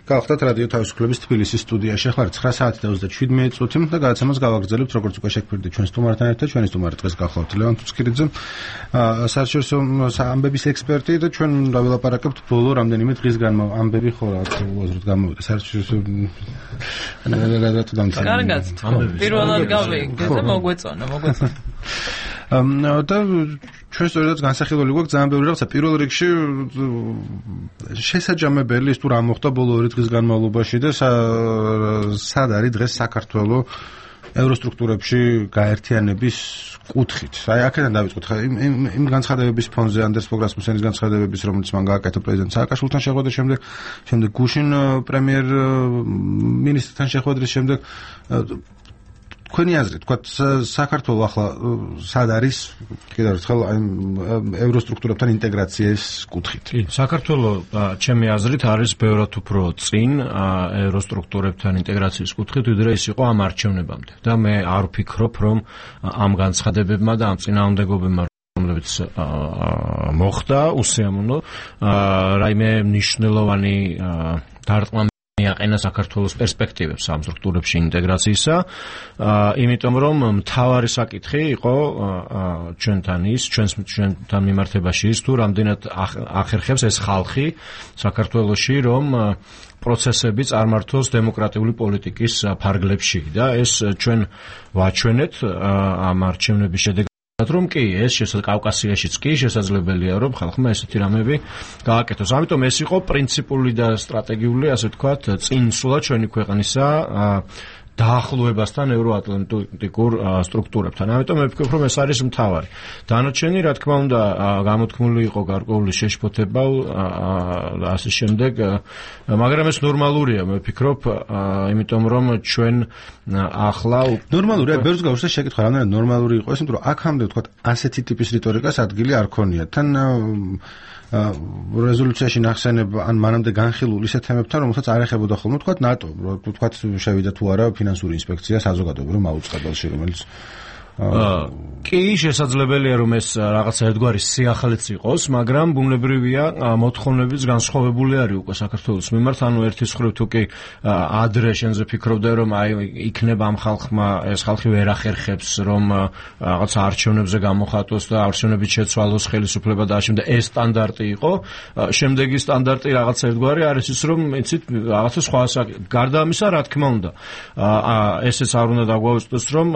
გავხდათ რადიო თავისუფლების თბილისის სტუდიაში. ახლა ცხრა საათი და ოცდაშვიდ წუთი და გადაცემას გავაგრძელებთ, როგორც უკვე შეგვირდი ჩვენ სტუმართან ერთად. ჩვენი სტუმარი დღეს გახლავთ ლევან თუცქირიძე, საერთაშორისო ამბების ექსპერტი და ჩვენ დავილაპარაკებთ ბოლო რამდენიმე დღის განმავლობაში. ამბები ხო რა უაზროდ გამოვიდა საერთაშორისო გადაწყვეტილებას. კარგად, პირველად გავიგე და მოგვეწონა, მოგვეწონა. და ჩვენ სწორედაც განსახილველი გვაქვს ძალიან ბევრი რაღაცა. პირველ რიგში შესაჯამებელი ის თუ რა მოხდა ბოლო ორი დღის განმავლობაში და სად არის დღეს საქართველოს ევროსტრუქტურებში გაერთიანების კუთხით. აი აქედან დავიწყოთ. იმ იმ განცხადებების ფონზე, ანდერს ფოგ რასმუსენის განცხადებების, რომელიც მან გააკეთა პრეზიდენტ სააკაშვილთან შეხვედრის შემდეგ, შემდეგ გუშინ პრემიერ მინისტრთან შეხვედრის შემდეგ, თქვენი აზრით, თქვა საქართველოს ახლა სად არის კიდევ ერთხელ აი ევროსტრუქტურებთან ინტეგრაციის კუთხით? კი, საქართველოს ჩემი აზრით არის ბევრად უფრო წინ ევროსტრუქტურებთან ინტეგრაციის კუთხით, ვიდრე ის იყო ამ არჩევნებამდე. და მე არ ვფიქრობ, რომ ამ განცხადებებმა და ამ წინააღმდეგობებმა რომლებიც მოხდა უსიამოვნო რაიმე მნიშვნელოვანი დარტყმა მიაყენა საქართველოს პერსპექტივებს ამ სტრუქტურებში ინტეგრაციისა, იმიტომ რომ მთავარი საკითხი იყო ჩვენთან ის, ჩვენს ჩვენთან მიმართებაში ის, თუ რამდენად ახერხებს ეს ხალხი საქართველოში, რომ პროცესები წარმართოს დემოკრატიული პოლიტიკის ფარგლებში და ეს ჩვენ ვაჩვენეთ ამ არჩევნების შედეგად, რომ კი ეს კავკასიაშიც კი შესაძლებელია, რომ ხალხმა ესეთი რამები გააკეთოს. ამიტომ ეს იყო პრინციპული და სტრატეგიული, ასე ვთქვათ, წინსვლა ჩვენი ქვეყნისა დაახლოებასთან ევროატლანტიკურ სტრუქტურებთან. ამიტომ მე ვფიქრობ, რომ ეს არის მთავარი. დანარჩენი, რა თქმა უნდა, გამოთქმული იყო გარკვეული შეშფოთება და ასე შემდეგ, მაგრამ ეს ნორმალურია, მე ვფიქრობ, იმიტომ რომ ჩვენ ახლა ნორმალურია, ბევრს გავუშვეს შეკითხვა, რამდენად ნორმალური იყო ეს, იმიტომ რომ აქამდე ვთქვათ, ასეთი ტიპის რიტორიკას ადგილი არ ქონია. თან რეზოლუციაში ნახსენებ ან მანამდე განხილულ ისეთ თემებთან, რომელსაც არ ეხებოდა ხოლმე, ვთქვათ, ნატო, ვთქვათ, შევიდა თუ არა ფინანსური ინსპექცია საზოგადოებრივ მაუწყებელში, რომელიც კი, შესაძლებელია რომ ეს რაღაცა ერთგვარი სიახლეც იყოს, მაგრამ ბუნებრივია მოთხოვნებიც განსხვავებული არის უკვე საქართველოს მიმართ, ანუ ერთის მხრივ თუ კი ადრე შენზე ფიქრობდა რომ აი იქნება ამ ხალხმა ეს ხალხი ვერ ახერხებს რომ რაღაცა არჩევნებზე გამოხატოს და არჩევნებით შეცვალოს ხელისუფლება და ამავდროულად ეს სტანდარტი იყო, შემდეგი სტანდარტი რაღაცა ერთგვარი არის ის რომ იცით რაღაცა სხვა გარდა ამისა რა თქმა უნდა ესეც არ უნდა დაგვაუწყდეს რომ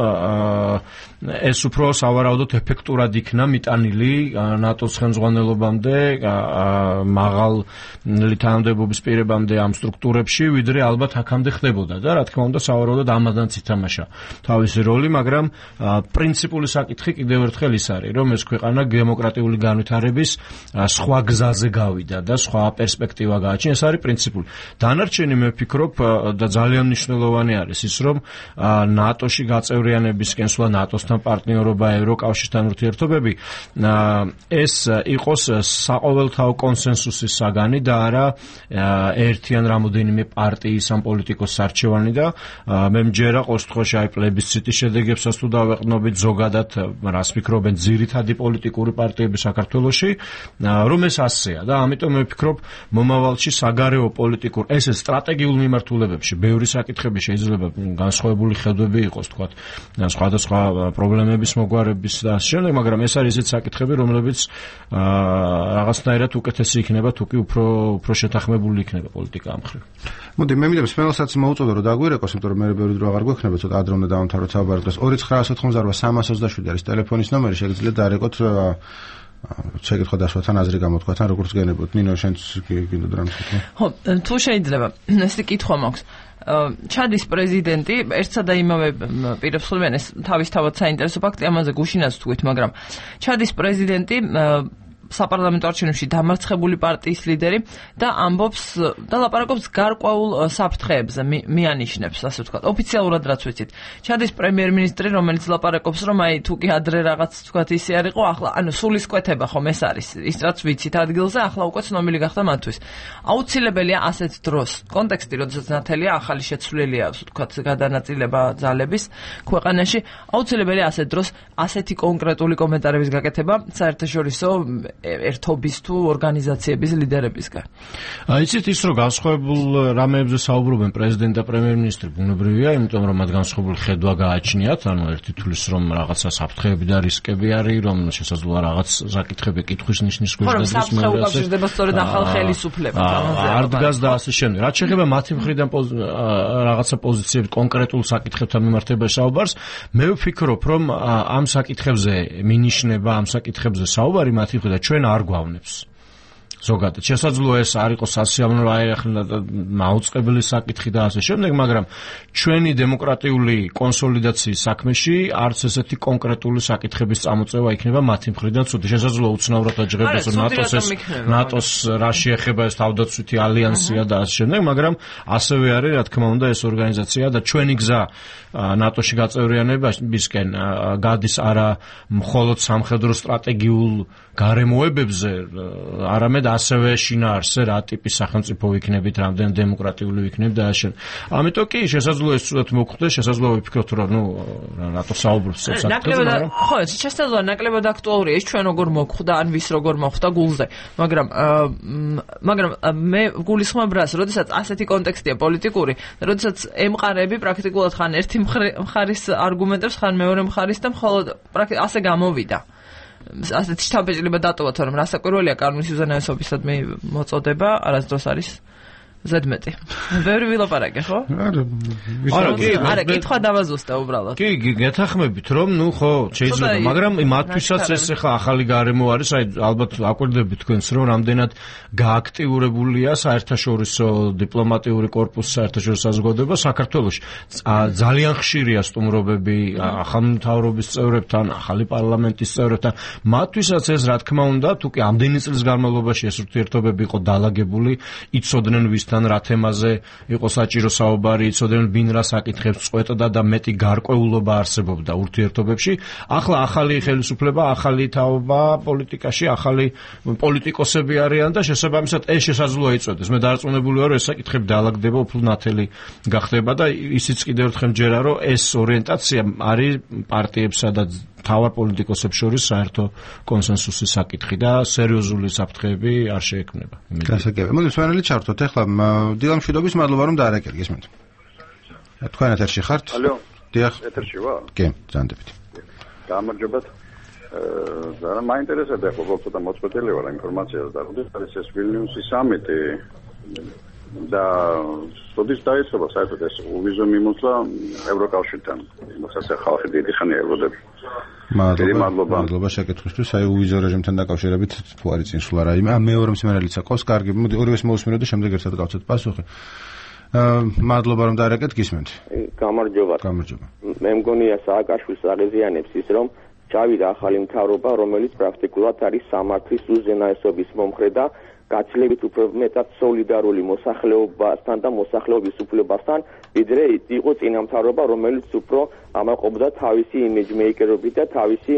ეს უფრო სავარაუდოდ ეფექტურად იქნა მიტანილი ნატოს ხელმძღვანელობამდე, მაღალი თანამდებობის პირებამდე ამ სტრუქტურებში, ვიდრე ალბათ აქამდე ხდებოდა და რა თქმა უნდა სავარაუდოდ ამადანც ითამაშა თავისი როლი, მაგრამ პრინციპული საკითხი კიდევ ერთხელ ის არის, რომ ეს ქვეყანა დემოკრატიული განვითარების სხვა გზაზე გავიდა და სხვა პერსპექტივა გააჩნია, ეს არის პრინციპული. დანარჩენი მე ვფიქრობ და ძალიან მნიშვნელოვანი არის ის, რომ ნატოში გაწევრიანებისკენ სვლა ნატოს პარტნიორობა ევროკავშირთან ურთიერთობები ეს იყოს საყოველთაო კონსენსუსის საგანი და არა ერთი ან რამოდენიმე პარტიის ან პოლიტიკოს არჩევანი და მე მჯერა ყოველ შემთხვევაში აი პლებისციტის შედეგებსაც თუ დავეყნობით ზოგადად რას ფიქრობენ ძირითადი პოლიტიკური პარტიები საქართველოში რომ ეს ასეა და ამიტომ მე ვფიქრობ მომავალში საგარეო პოლიტიკურ ესე სტრატეგიულ მიმართულებებში ბევრი საკითხები შეიძლება განსხვავებული ხედვები იყოს თქვა სხვადასხვა პრობლემების მოგვარების და შემდეგ, მაგრამ ეს არის ისეთ საკითხები, რომლებიც რაღაცნაირად უკეთესი იქნება, თუ კი უფრო უფრო შეთანხმებული იქნება პოლიტიკა ამ მხრივ. მოდი, მე მინდა სპეციალსაც მოუწოდო, რომ დაგვირეკოს, იმიტომ რომ მე ბევრი დრო აღარ გვექნება, ცოტა ადრე უნდა დავამთავროთ საუბარი დღეს. ორი ცხრა ოთხმოცდაოთხი სამას ოცდაშვიდი არის ტელეფონის ნომერი, შეგიძლიათ დაარეკოთ შეკითხვა დასვათან აზრი გამოთქვათ, როგორც გენებოთ. ნინო, შენც გინდოდა რამე თქვა? ხო, თუ შეიძლება, ესეთი კითხვა მაქვს. ჩადის პრეზიდენტი ერთსა და იმავე პირებს ხდებიან ეს თავისთავად საინტერესო ფაქტი, ამაზე გუშინაც ვთქვით, მაგრამ ჩადის პრეზიდენტი საპარლამენტო არჩევნებში დამარცხებული პარტიის ლიდერი და ამბობს და ლაპარაკობს გარკვეულ საფრთხეებზე, მიანიშნებს, ასე ვთქვათ, ოფიციალურად რაც ვიცით. ჩადის პრემიერ-მინისტრი, რომელიც ლაპარაკობს, რომ აი თუ კი ადრე რაღაც ვთქვათ ისე არ იყო, ახლა ანუ სულისკვეთება ხომ ეს არის, ის რაც ვიცით ადგილზე, ახლა უკვე ცნობილი გახდა მათთვის. აუცილებელია ასეთ დროს, კონტექსტი, როდესაც ნათელია ახალი შეცვლილია, ვთქვათ, გადანაწილება ძალების ქვეყანაში, აუცილებელია ასეთ დროს ასეთი კონკრეტული კომენტარების გაკეთება საერთაშორისო ერთობის თუ ორგანიზაციების ლიდერებისგან. იცით ის რომ განსხვავებულ რამეებზე საუბრობენ პრეზიდენტი და პრემიერ-მინისტრი ბუნებრივია, იმიტომ რომ მათ განსხვავებული ხედვა გააჩნიათ, ანუ ერთი თulis რომ რაღაცა საფრთხეები და რისკები არის, რომ შესაძლოა რაღაც საკითხები კითხვის ნიშნის ქვეშ გადადის. ხო, საფრთხე უკავშირდება სწორედ ახალ ხელისუფლებასთან. არ დგას და ასე შემდეგ. რაც შეეხება მათი მხრიდან რაღაცა პოზიციები კონკრეტულ საკითხებთან მიმართებაში საუბარს, მე ვფიქრობ, რომ ამ საკითხებზე მინიშნება, ამ საკითხებზე საუბარი მათი მხრიდან ჩვენ არ გვავნებს. ზოგადად შესაძლოა ეს არ იყოს სასიამოვნო აიხლა მაუწყებელი საკითხი და ასე შემდეგ, მაგრამ ჩვენი დემოკრატიული კონსოლიდაციის საქმეში არც ესეთი კონკრეტული საკითხების წამოწევა იქნება მათი მხრიდან ცუდი. შესაძლოა უცნაურად აჯღებდეს ნატოს ეს ნატოს რა შეეხება ეს თავდაცვითი ალიანსია და ასე შემდეგ, მაგრამ ასევე არის რა თქმა უნდა ეს ორგანიზაცია და ჩვენი გზა ნატოში გაწევრიანებისკენ გადის არა მხოლოდ სამხედრო სტრატეგიულ გარემოებებზე, არამედ ასევე შინაარსზე რა ტიპის სახელმწიფო ვიქნებით, რამდენ დემოკრატიული ვიქნებით და ასე. ამიტომ კი შესაძლოა ეს ცუდად მოხდეს, შესაძლოა ვიფიქროთ, რომ ნუ რატო საუბრობს ეს საკითხზე, მაგრამ ხო, შესაძლოა ნაკლებად აქტუალურია ეს ჩვენ როგორ მოხვდა, ან ვის როგორ მოხვდა გულზე, მაგრამ მაგრამ მე გულისხმობ რას, როდესაც ასეთი კონტექსტია პოლიტიკური, როდესაც ემყარები პრაქტიკულად ხან ერთი მხარის არგუმენტებს, ხან მეორე მხარის და მხოლოდ ასე გამოვიდა. ასეთი შთაბეჭდილება დატოვა, თორემ რასაკვირველია კანონის უზენაესობისადმი მოწოდება არასდროს არის ზედმეტი. ბევრი ვილაპარაკე, ხო? არა, არა, კი, არა, კითხვა დავაზუსტე უბრალოდ. კი, გეთახმებით, რომ ნუ ხო, შეიძლება, მაგრამ მათთვისაც ეს ახლა ახალი გარემო არის, აი ალბათ აკვირდებით თქვენს, რომ რამდენად გააქტიურებულია საერთაშორისო დიპლომატიური კორპუსი, საერთაშორისო საზოგადოება საქართველოში. ძალიან ხშირია სტუმრობები ახალ მთავრობის წევრებთან, ახალი პარლამენტის წევრებთან. მათთვისაც ეს რა თქმა უნდა, თუ კი ამდენი წლის განმავლობაში ეს ურთიერთობები იყო დალაგებული, იცოდნენ ვისთან რა თემაზე იყო საჭირო საუბარი, იცოდნენ ვინ რა საკითხებს წყვეტდა და მეტი გარკვეულობა არსებობდა ურთიერთობებში. ახლა ახალი ხელისუფლება, ახალი თაობა პოლიტიკაში, ახალი პოლიტიკოსები არიან და შესაბამისად ეს შესაძლოა იწოდეს. მე დარწმუნებული ვარ, რომ ეს საკითხები დაალაგდება, უფრო ნათელი გახდება და ისიც კიდევ ერთხელ მჯერა, რომ ეს ორიენტაცია არის პარტიებსა და თავარ პოლიტიკოსებს შორის საერთო კონსენსუსის საკითხი და სერიოზული საფრთხეები არ შეექმნება. გასაგებია. მოდი სვანელი ჩართოთ. ეხლა დილამ მშვიდობის მადლობა რომ დაარეკეთ, გესმენთ. თქვენ ეთერში ხართ? ალო. დიახ. ეთერში ვარ? კი, ზანდებით. გამარჯობათ. ზარა მაინტერესებდა ხო ცოტა მოწყვეტილი ვარ ინფორმაციას და როდის არის ეს ვილნიუსის სამიტი და როდის დაიწყება საერთოდ ეს უვიზო მიმოსვლა ევროკავშირთან. იმასაც ხალხი დიდი ხანია ელოდებს. მადლობა. მადლობა შეკითხვისთვის. აი უვიზო რეჟიმთან დაკავშირებით თუ არის წინსვლა რაიმე. მეორე მსმენელიც აქვს. კარგი, მოდი ორივეს მოვუსმინოთ და შემდეგ ერთად გავცეთ პასუხი. მადლობა რომ დაარეკეთ, გისმენთ. გამარჯობა. გამარჯობა. მე მგონია სააკაშვილს აღეზიანებს ის რომ ჩავიდა ახალი მთავრობა, რომელიც პრაქტიკულად არის სამართლის უზენაესობის მომხრე და გაცილებით უფრო მეტად სოლიდარული მოსახლეობასთან და მოსახლეობის უფლებასთან, ვიდრე იყო წინა მთავრობა, რომელიც უფრო ამაყობდა თავისი იმიჯმეიკერობით და თავისი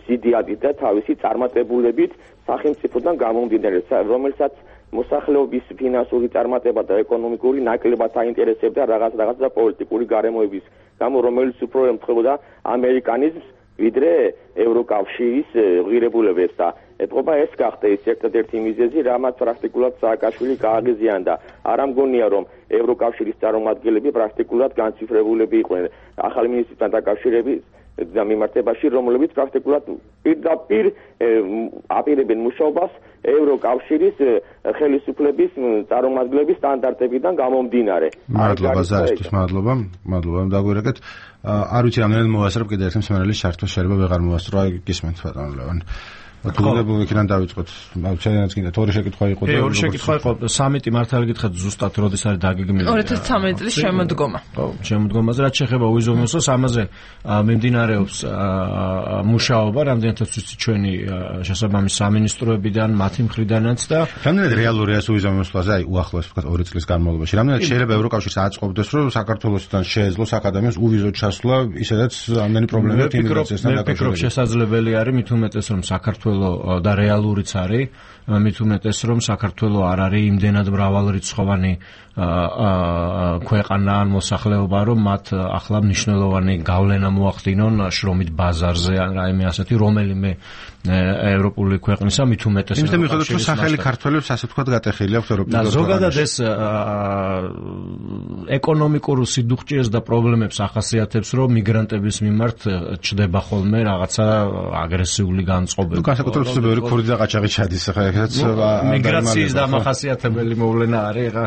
სიდიადით და თავისი წარმატებულებით სახელმწიფოდან გამომდინარე, რომელსაც მოსახლეობის ფინანსური წარმატება და ეკონომიკური ნაკლებად აინტერესებდა რაღაც რაღაც და პოლიტიკური გარემოების გამო, რომელიც უფრო ემთხვეოდა ამერიკანიზმს ვიდრე ევროკავშირის ღირებულებებს და ეთყობა ეს გახდა ის ერთადერთი მიზეზი, რამაც პრაქტიკულად სააკაშვილი გააღიზიანდა. არ ამგონია რომ ევროკავშირის წარმომადგენლები პრაქტიკულად განციფრებულები იყვნენ ახალი მინისტრთან დაკავშირებით და მიმართებაში, რომლებიც პრაქტიკულად პირდაპირ აპირებენ მუშაობას ევროკავშირის ხელისუფლების წარმომადგენლების სტანდარტებიდან გამომდინარე. მადლობა ზარისთვის, მადლობა. მადლობა რომ დაგვირეკეთ. არ ვიცი რამდენად მოვასწრებ კიდე ერთ მსმენელის შარტო შეიძლება ვეღარ მოვასწრო, აი გისმენთ ბატონო ლევან. გულებულ იქიდან დავიწყოთ. აუცილებლად გინდათ ორი შეკითხვა იყო და ორი შეკითხვა იყო. სამიტი მართალი გითხრათ ზუსტად როდის არის დაგეგმილი? ორი ათას ცხრამეტი წლის შემოდგომა. ხო, შემოდგომაზე რაც შეეხება უიზომოსოს, ამაზე მიმდინარეობს მუშაობა, რამდენადაც ვიცი ჩვენი შესაბამის სამინისტროებიდან, მათი მხრიდანაც და რამდენად რეალურია ეს უიზომოსლაზე, აი უახლოეს ვთქვათ ორი წლის განმავლობაში. რამდენად შეიძლება ევროკავშირს აწყობდეს, რომ საქართველოსთან შეეძლოს აკადემიას უვიზო ჩასვლა, ისედაც ამდენი პრობლემებით იმიგრაციასთან დაკავშირებით. მე ვფიქრობ, შესაძლებელი არის, მით უმეტეს რომ საქართველოს და რეალურიც არის, მით უმეტეს რომ საქართველოს არ არის იმდენად მრავალრიცხოვანი ქვეყანა ან მოსახლეობა, რომ მათ ახლა მნიშვნელოვანი გავლენა მოახდინონ შრომით ბაზარზე ან რაიმე ასეთი რომელიმე ევროპული ქვეყნისა, მით უმეტეს იმის მიხედვით რომ სახელი ქართველებს ასე ვთქვათ გატეხილი აქვს ევროპულ და ზოგადად ეს ეკონომიკურ სიდუხჭეს და პრობლემებს ახასიათებს, რომ მიგრანტების მიმართ ჩდება ხოლმე რაღაცა აგრესიული განწყობები. განსაკუთრებით ბევრი ქურდი და ყაჩაღი ჩადის ახლა ეგეც მიგრაციის დამახასიათებელი მოვლენა არის. ეხა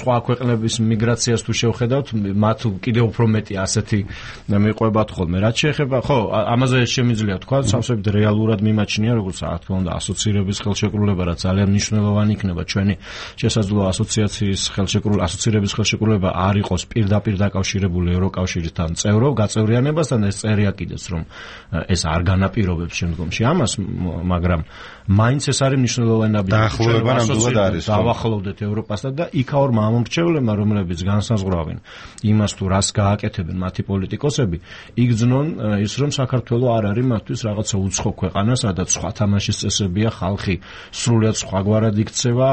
სხვა ქვეყნების მიგრაციას თუ შევხედავთ, მათ კიდევ უფრო მეტი ასეთი მიყვებათ ხოლმე. რაც შეეხება, ხო, ამაზე შემიძლია თქვა, სამსებით რეალურად მიმაჩნია, როგორც რა თქმა უნდა, ასოცირების ხელშეკრულება, რაც ძალიან მნიშვნელოვანი იქნება ჩვენი შესაძლო ასოციაციის ხელშეკრულება, ასოცირების ხელშეკრულება არ იყოს პირდაპირ დაკავშირებული ევროკავშირთან წევრო გაწევრიანებასთან, ეს წერია კიდეც, რომ ეს არ განაპირობებს შემდგომში ამას, მაგრამ მაინც ეს არის მნიშვნელოვანი დაახლოება ნამდვილად არის. დავახლოვდეთ ევროპასთან და იქაურ მამორჩევლებმა, რომლებიც განსაზღვრავენ იმას თუ რას გააკეთებენ მათი პოლიტიკოსები, იგრძნონ ის, რომ საქართველოს არ არის მათთვის რაღაცა უცხო ქვეყანა, სადაც სხვა თამაშის წესებია, ხალხი სრულიად სხვაგვარად იქცევა,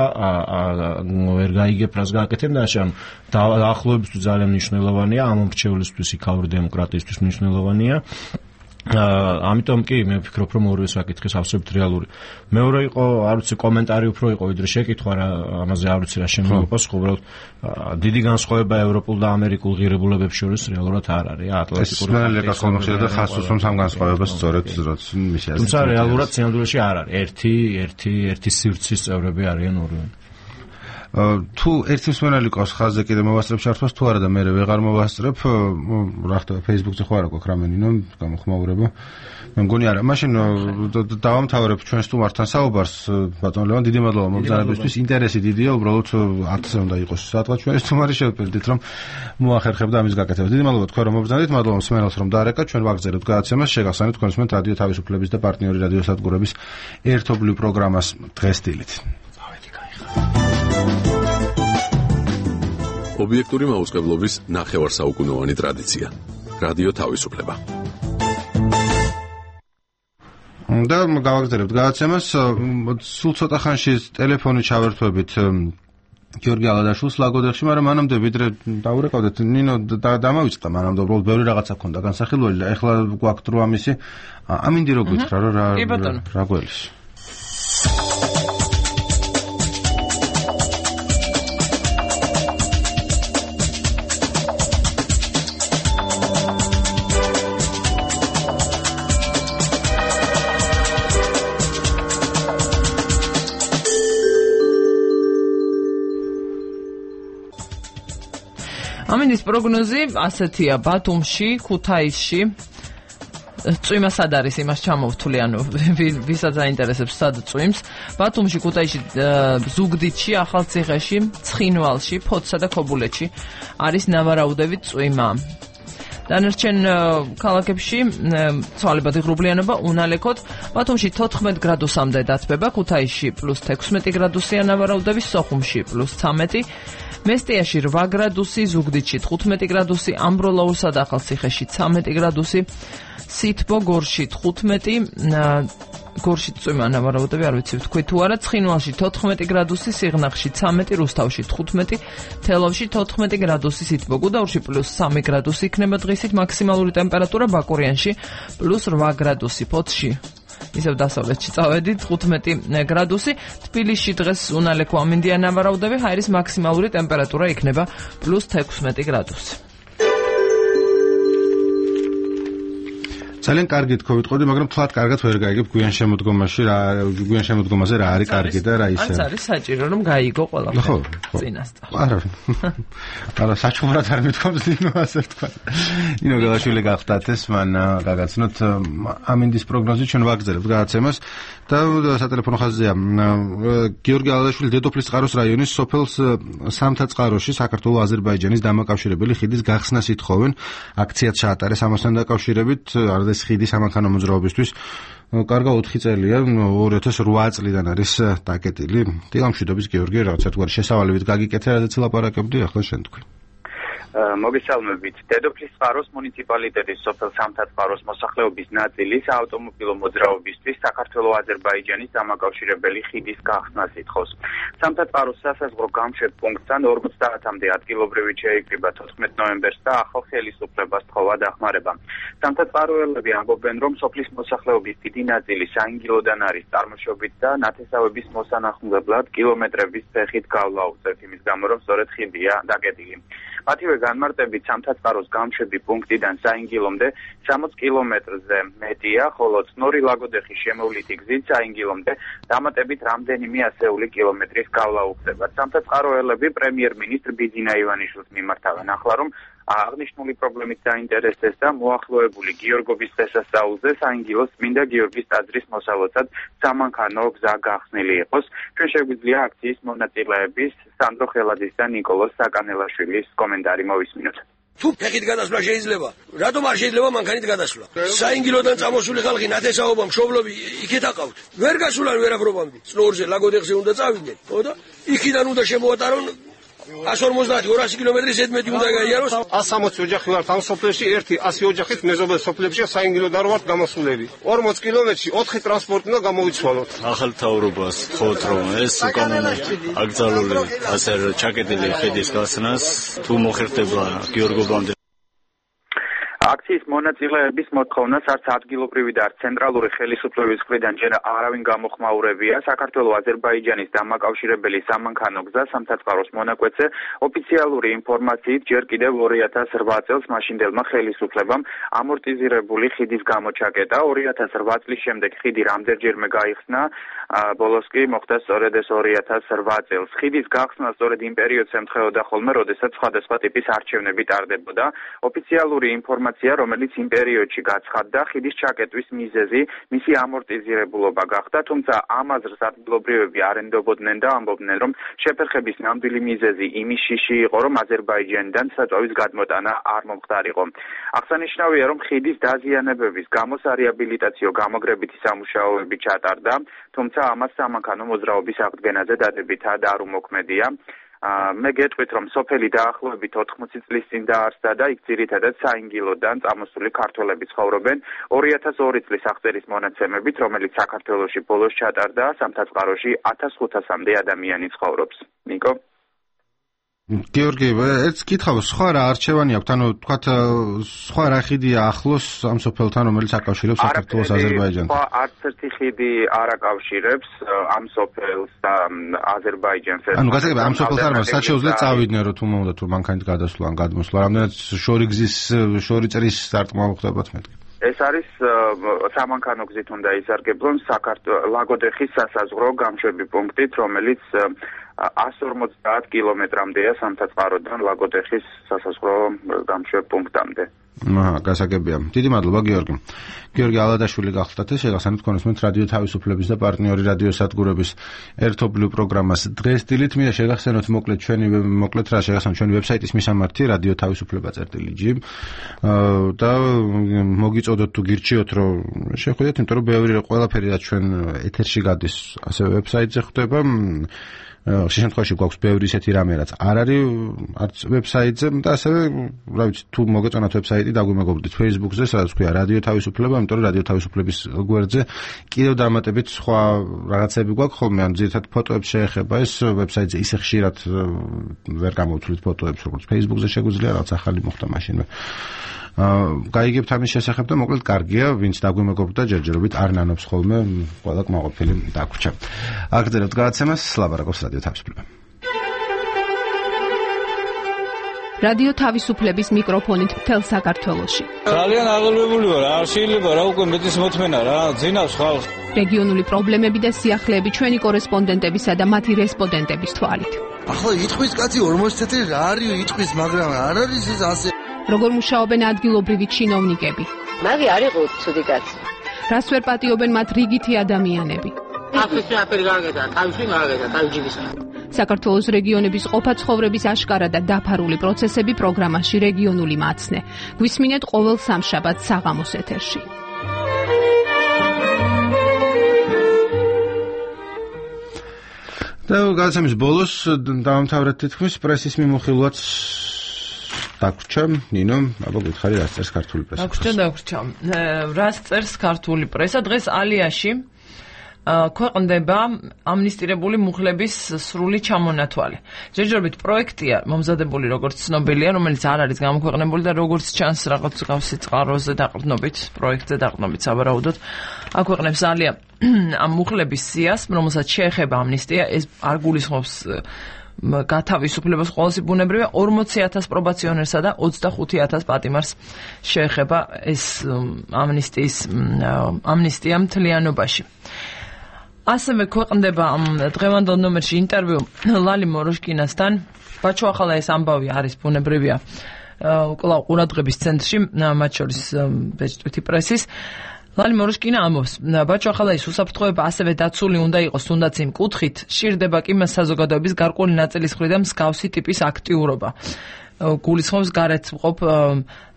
ვერ გაიგებ რას გააკეთებენ და ამ დაახლოებისთვის ძალიან მნიშვნელოვანია, ამ მორჩევლისთვის, იქაური დემოკრატიისთვის მნიშვნელოვანია. ამიტომ კი მე ვფიქრობ, რომ ორივე საკითხი absolut რეალური. მეორე იყო, არ ვიცი, კომენტარი უფრო იყო, ვიდრე შეკითხვა, რა ამაზე არ ვიცი რა შემოგიყვას, უბრალოდ დიდი განსხვავება ევროპულ და ამერიკულ ღირებულებებს შორის რეალურად არ არის. ატლანტიკური ხარტიის ხომხშია და ხასოს რომ სამ განსხვავებას სწორედ როც მისი ასე. თუმცა რეალურად სინამდვილეში არ არის. ერთი, ერთი, ერთი სივრცის წევრები არიან ორივე. თუ ერთი მსმენელი ყავს ხაზზე კიდე მოვასწრებ ჩართვას თუ არა და მე ვეღარ მოვასწრებ, რა ხდება Facebook-ზე ხო არა გვაქვს რამე ნინო გამოხმაურება. მე მგონი არა, მაშინ დავამთავრებ ჩვენ სტუმართან საუბარს, ბატონ ლევან, დიდი მადლობა მობრძანებისთვის, ინტერესი დიდია, უბრალოდ ათზე უნდა იყოს საათღა ჩვენი სტუმარი შევფერდით, რომ მოახერხებდა ამის გაკეთებას. დიდი მადლობა თქვენ რომ მობრძანეთ, მადლობა მსმენელს რომ დაარეკა, ჩვენ ვაგზავნებთ გადაცემას, შეგახსენებთ თქვენ მსმენთ რადიო თავისუფლების და პარტნიორი რადიოსადგურების ერთობლივ პროგრამას დღესდილით. ობიექტური მაუწყებლობის ნახევარსაუკუნოვანი ტრადიცია. რადიო თავისუფლება. და გავაგზავნებთ გადაცემას, სულ ცოტა ხანში ტელეფონი ჩავერთვებით გიორგი ალადაშვილს ლაგოდეხში, მაგრამ მანამდე ვიდრე დაურეკავდეთ, ნინო დამავიწყდა მანამდე, უბრალოდ ბევრი რაღაცა ქონდა განსახილველი და ეხლა გვაქვს დრო ამისი. ამინდი რო გითხრა რა რა გველის. ამინდის პროგნოზი ასეთია: ბათუმში, ქუთაისში წვიმა სად არის, იმას ჩამოვთვლი, ანუ ვისაც აინტერესებს სად წვიმს. ბათუმში, ქუთაისში, ზუგდიდში, ახალციხეში, ცხინვალში, ფოთსა და ქობულეთში არის ნავარაუდევი წვიმა. დანარჩენ ქალაქებში ცვალებადი ღრუბლიანობა უნალექოთ. ბათუმში თოთხმეტ გრადუსამდე დათბება, ქუთაისში პლუს თექვსმეტი გრადუსია ნავარაუდები, სოხუმში პლუს ცამეტი, მესტიაში რვა გრადუსი, ზუგდიდში თხუთმეტი გრადუსი, ამბროლაურსა და ახალციხეში ცამეტი გრადუსი, სითბო, გორში თხუთმეტი, გორში წვიმა ნავარაუდები არ ვიცი თქვი თუ არა, ცხინვალში თოთხმეტი გრადუსი, სიღნაღში ცამეტი, რუსთავში თხუთმეტი, თელავში თოთხმეტი გრადუსი, სითბო, გუდაურში პლუს სამი გრადუსი იქნება დღისით, მაქსიმალური ტემპერატურა ბაკურიანში პლუს რვა გრადუსი, ფოთში ისევ დასავლეთში წავედით თხუთმეტი გრადუსი, თბილისში დღეს უნალექო ამინდია ნავარაუდები, ჰაერის მაქსიმალური ტემპერატურა იქნება პლუს თექვსმეტი გრადუსი. ძალიან კარგი თქო ვიტყოდი, მაგრამ თლად კარგად ვერ გაიგებ გვიან შემოდგომაში რა გვიან შემოდგომაზე რა არის კარგი და რა ისე. არც არის საჭირო რომ გაიგო ყველაფერი. ხო, წინასწარ. არა. არა, საჩუქრად არ მithქვამს ნინო ასე თქვა. ნინო გელაშვილი გახდათ ეს მან გაგაცნოთ ამინდის პროგნოზი ჩვენ ვაგზავნებთ გადაცემას და სატელეფონო ხაზია გიორგი ალადაშვილი დედოფლის წყაროს რაიონის სოფელს სამთაწყაროში საქართველოს აზერბაიჯანის დამაკავშირებელი ხიდის გახსნას ითხოვენ. აქციაც ჩაატარეს ამასთან დაკავშირებით არდეს ხიდის სამანქანო მოძრაობისთვის. კარგა ოთხი წელია, ორი ათას რვა წლიდან არის დაკეტილი. დილამშვიდობის გიორგი, რაღაცა თქვა შესავალებით გაგიკეთე, რადგან ლაპარაკებდი, ახლა შენ თქვი. მოგესალმებით. დედოფლის წყაროს მუნიციპალიტეტის სოფელ სამთაწყაროს მოსახლეობის ნაწილი საავტომობილო მოძრაობისთვის საქართველოს აზერბაიჯანის დამაკავშირებელი ხიდის გახსნას ითხოვს. სამთაწყაროს სასაზღვრო გამშვებ პუნქტთან ორმოცდაათამდე ადგილობრივი შეიკრიბა თოთხმეტ ნოემბერს და ახალ ხელისუფლებას თხოვა დახმარება. სამთაწყაროელები ამბობენ, რომ სოფლის მოსახლეობის დიდი ნაწილი საინგილოდან არის წარმოშობით და ნათესავების მოსანახულებლად კილომეტრების ფეხით გავლა უწევთ, იმის გამო რომ სწორედ ხიდია დაკეტილი. მათივე განმარტებით სამთაწყაროს გამშვები პუნქტიდან საინგილომდე სამოც კილომეტრზე მეტია, ხოლო წნორი ლაგოდეხის შემოვლითი გზით საინგილომდე დამატებით რამდენიმე ასეული კილომეტრის გავლა უხდება. სამთაწყაროელები პრემიერ-მინისტრ ბიძინა ივანიშვილს მიმართავენ ახლა, რომ აღნიშნული პრობლემით დაინტერესდეს და მოახლოებული გიორგობის დღესასწაულზე საინგილოს წმინდა გიორგის ტაძრის მოსალოცად სამანქანო გზა გახსნილი იყოს. ჩვენ შეგვიძლია აქციის მონაწილეების სანდრო ხელაძის და ნიკოლოზ საკანელაშვილის კომენტარი მოვისმინოთ. თუ ფეხით გადასვლა შეიძლება, რატომ არ შეიძლება მანქანით გადასვლა? საინგილოდან წამოსული ხალხი ნათესაობა მშობლები იქეთ აყავთ. ვერ გასულან ვერაფრობამდე. წნორზე ლაგოდეხზე უნდა წავიდნენ, ხო და იქიდან უნდა შემოატარონ ასი ორმოცდაათი ორასი კილომეტრის ზედმეტი უნდა გაიაროს. ას სამოცი ოჯახი ვართ ამ სოფლებში, ერთი ასი ოჯახით მეზობელ სოფლებში საინგილოდან ვართ გამოსულები. ორმოც კილომეტრში ოთხი ტრანსპორტი უნდა გამოვიცვალოთ. ახალ თავრობას ხოთ რომ ეს უკანონო აკრძალული ასე ჩაკეტილი ხიდის გასნას თუ მოხერხდება გიორგობამდე. აქციის მონაწილეების მოთხოვნას არც ადგილობრივი და არც ცენტრალური ხელისუფლების მხრიდან ჯერ არავინ გამოხმაურებია. საქართველოს აზერბაიჯანის დამაკავშირებელი სამანქანო გზა სამთათყაროს მონაკვეთზე ოფიციალური ინფორმაციით ჯერ კიდევ ორი ათას რვა წელს მაშინდელმა ხელისუფლებამ ამორტიზირებული ხიდის გამოჩაკეტა. ორი ათას რვა წლის შემდეგ ხიდი რამდენჯერმე გაიხსნა, ბოლოს კი მოხდა სწორედ ეს ორი ათას რვა წელს. ხიდის გახსნა სწორედ იმ პერიოდს ემთხვეოდა ხოლმე, როდესაც სხვადასხვა ტიპის არჩევნები ტარდებოდა. ოფიციალური ინფორმაცია, რომელიც იმ პერიოდში გაცხადდა, ხიდის ჩაკეტვის მიზეზი მისი ამორტიზირებულობა გახდა, თუმცა ამ აზრს ადგილობრივები არ ენდობოდნენ და ამბობდნენ, რომ შეფერხების ნამდვილი მიზეზი იმის შიში იყო, რომ აზერბაიჯანიდან საწვავის გადმოტანა არ მომხდარიყო. აღსანიშნავია, რომ ხიდის დაზიანებების გამო სარეაბილიტაციო გამოგრებითი სამუშაოები ჩატარდა, თუმცა ამას სამანქანო მოძრაობის აღდგენაზე დადებითად არ უმოქმედია. მე გეტყვით, რომ სოფელი დაახლოებით ოთხმოცი წლის წინ დაარსდა და იქ ძირითადად საინგილოდან წამოსული ქართველები ცხოვრობენ. ორი ათას ორი წლის აღწერის მონაცემებით, რომელიც საქართველოში ბოლოს ჩატარდა, სამთათყაროში ათას ხუთასამდე ადამიანი ცხოვრობს. ნიკო? გიორგი, ერთ კითხავ, სხვა რა არჩევანი აქვს, ანუ თქვათ სხვა რა ხიდია ახლოს ამ სოფელთან, რომელიც აკავშირებს საქართველოს აზერბაიჯანს? სხვა არც ერთი ხიდი არ აკავშირებს ამ სოფელს და აზერბაიჯანს. ანუ გასაგებია, ამ სოფელთან არ მათ შეუძლია წავიდნენ, რომ თუ მომდა თუ მანქანით გადასვლა ან გადმოსვლა, რამდენად შორი გზის შორი წრის სარტყმა მოხდებათ მეთქი. ეს არის სამანქანო გზით უნდა იზარგებლონ საქართველოს ლაგოდეხის სასაზღვრო გამშვები პუნქტით, რომელიც ასს ორმოცდაათ კილომეტრამდეა სამთათყაროდან ლაგოდეხის სასაზღვრო გამშვებ პუნქტამდე. აჰა, გასაგებია. დიდი მადლობა გიორგი. გიორგი ალადაშვილი გახლდათ ეს შეგახსენებთ კონსუმენტ რადიო თავისუფლების და პარტნიორი რადიო სადგურების ერთობლივ პროგრამას დღეს დილით მინდა შეგახსენოთ მოკლედ ჩვენი მოკლედ რა შეგახსენოთ ჩვენი ვებსაიტის მისამართი რადიო თავისუფლება წერტილი ჯი და მოგიწოდოთ თუ გირჩიოთ რომ შეხვიდეთ, იმიტომ რომ ბევრი ყველაფერი რაც ჩვენ ეთერში გადის ასევე ვებსაიტზე ხდება. შემთხვევაში გვაქვს ბევრი ისეთი რამე, რაც არ არის არც ვებსაიტზე და ასევე, რა ვიცი, თუ მოგეწონათ ვებსაიტი, დაგვიმეგობრდით Facebook-ზე, სადაც ქვია რადიო თავისუფლება, იმიტომ რომ რადიო თავისუფლების გვერდზე კიდევ დამატებით სხვა რაღაცები გვაქვს ხოლმე, ან ძირითადად ფოტოებს შეეხება ეს ვებსაიტზე ისე ხშირად ვერ გამოვთვლით ფოტოებს, როგორც Facebook-ზე შეგვიძლია, რაც ახალი მოხდა მაშინვე. გაიგებთ ამის შესახებ და მოკლედ კარგია, ვინც დაგვიმეგობრდა ჯერჯერობით არ ნანობს ხოლმე, ყველა კმაყოფილი დაგვრჩა. აგრძელებთ გადაცემას, ლაბარაკობს რადიო თავისუფლება. რადიო თავისუფლების მიკროფონით მთელ საქართველოში. ძალიან აღელვებული ვარ, არ შეიძლება რა უკვე მეტის მოთმენა რა, ძინავს ხალხს. რეგიონული პრობლემები და სიახლეები ჩვენი კორესპონდენტებისა და მათი რესპონდენტების თვალით. ახლა იტყვის კაცი ორმოცი წელი რა არის იტყვის, მაგრამ არ არის ეს ასე. როგორ მუშაობენ ადგილობრივი ჩინოვნიკები? მაგი არ იყო ცუდი კაცი. რას ვერ პატიობენ მათ რიგითი ადამიანები? აფრიკა აფერი გარგედა, თავში გარგედა, თავჯიბის. საქართველოს რეგიონების ყოფა ცხოვრების აშკარა და დაფარული პროცესები პროგრამაში რეგიონული მაცნე. გვისმინეთ ყოველ სამშაბათს საღამოს ეთერში. და გადაცემის ბოლოს დავამთავრეთ თითქმის პრესის მიმოხილვაც დაგვრჩა, ნინო, აბა გითხარი რას წერს ქართული პრესა? დაგვრჩა, დაგვრჩა. რას წერს ქართული პრესა? დღეს ალიაში ქვეყნდება ამნისტირებული მუხლების სრული ჩამონათვალი. ჯერჯერობით პროექტია მომზადებული, როგორც ცნობილია, რომელიც არ არის გამოქვეყნებული და როგორც ჩანს რაღაც გავსი წყაროზე დაყრდნობით, პროექტზე დაყრდნობით სავარაუდოდ აქვეყნებს ალია ამ მუხლების სიას, რომელსაც შეეხება ამნისტია, ეს არ გულისხმობს გათავისუფლებას ყოველსი ბუნებრივია, ორმოცი ათას პრობაციონერსა და ოცდახუთი ათას პატიმარს შეეხება ეს ამნისტიის ამნისტია მთლიანობაში. ასევე ქვეყნდება დღევანდელ ნომერში ინტერვიუ ლალი მოროშკინასთან. ბაჩო ახალა ეს ამბავი არის ბუნებრივია კვლავ ყურადღების ცენტრში, მათ შორის ბეჭდვითი პრესის. ლალი მოროშკინა ამბობს, ბაჩო ახალა ეს უსაფრთხოება ასევე დაცული უნდა იყოს, თუნდაც იმ კუთხით სჭირდება კი მას საზოგადოების გარკვეული ნაწილის მხრიდან მსგავსი ტიპის აქტიურობა. გულისხმობს გარეთ მყოფ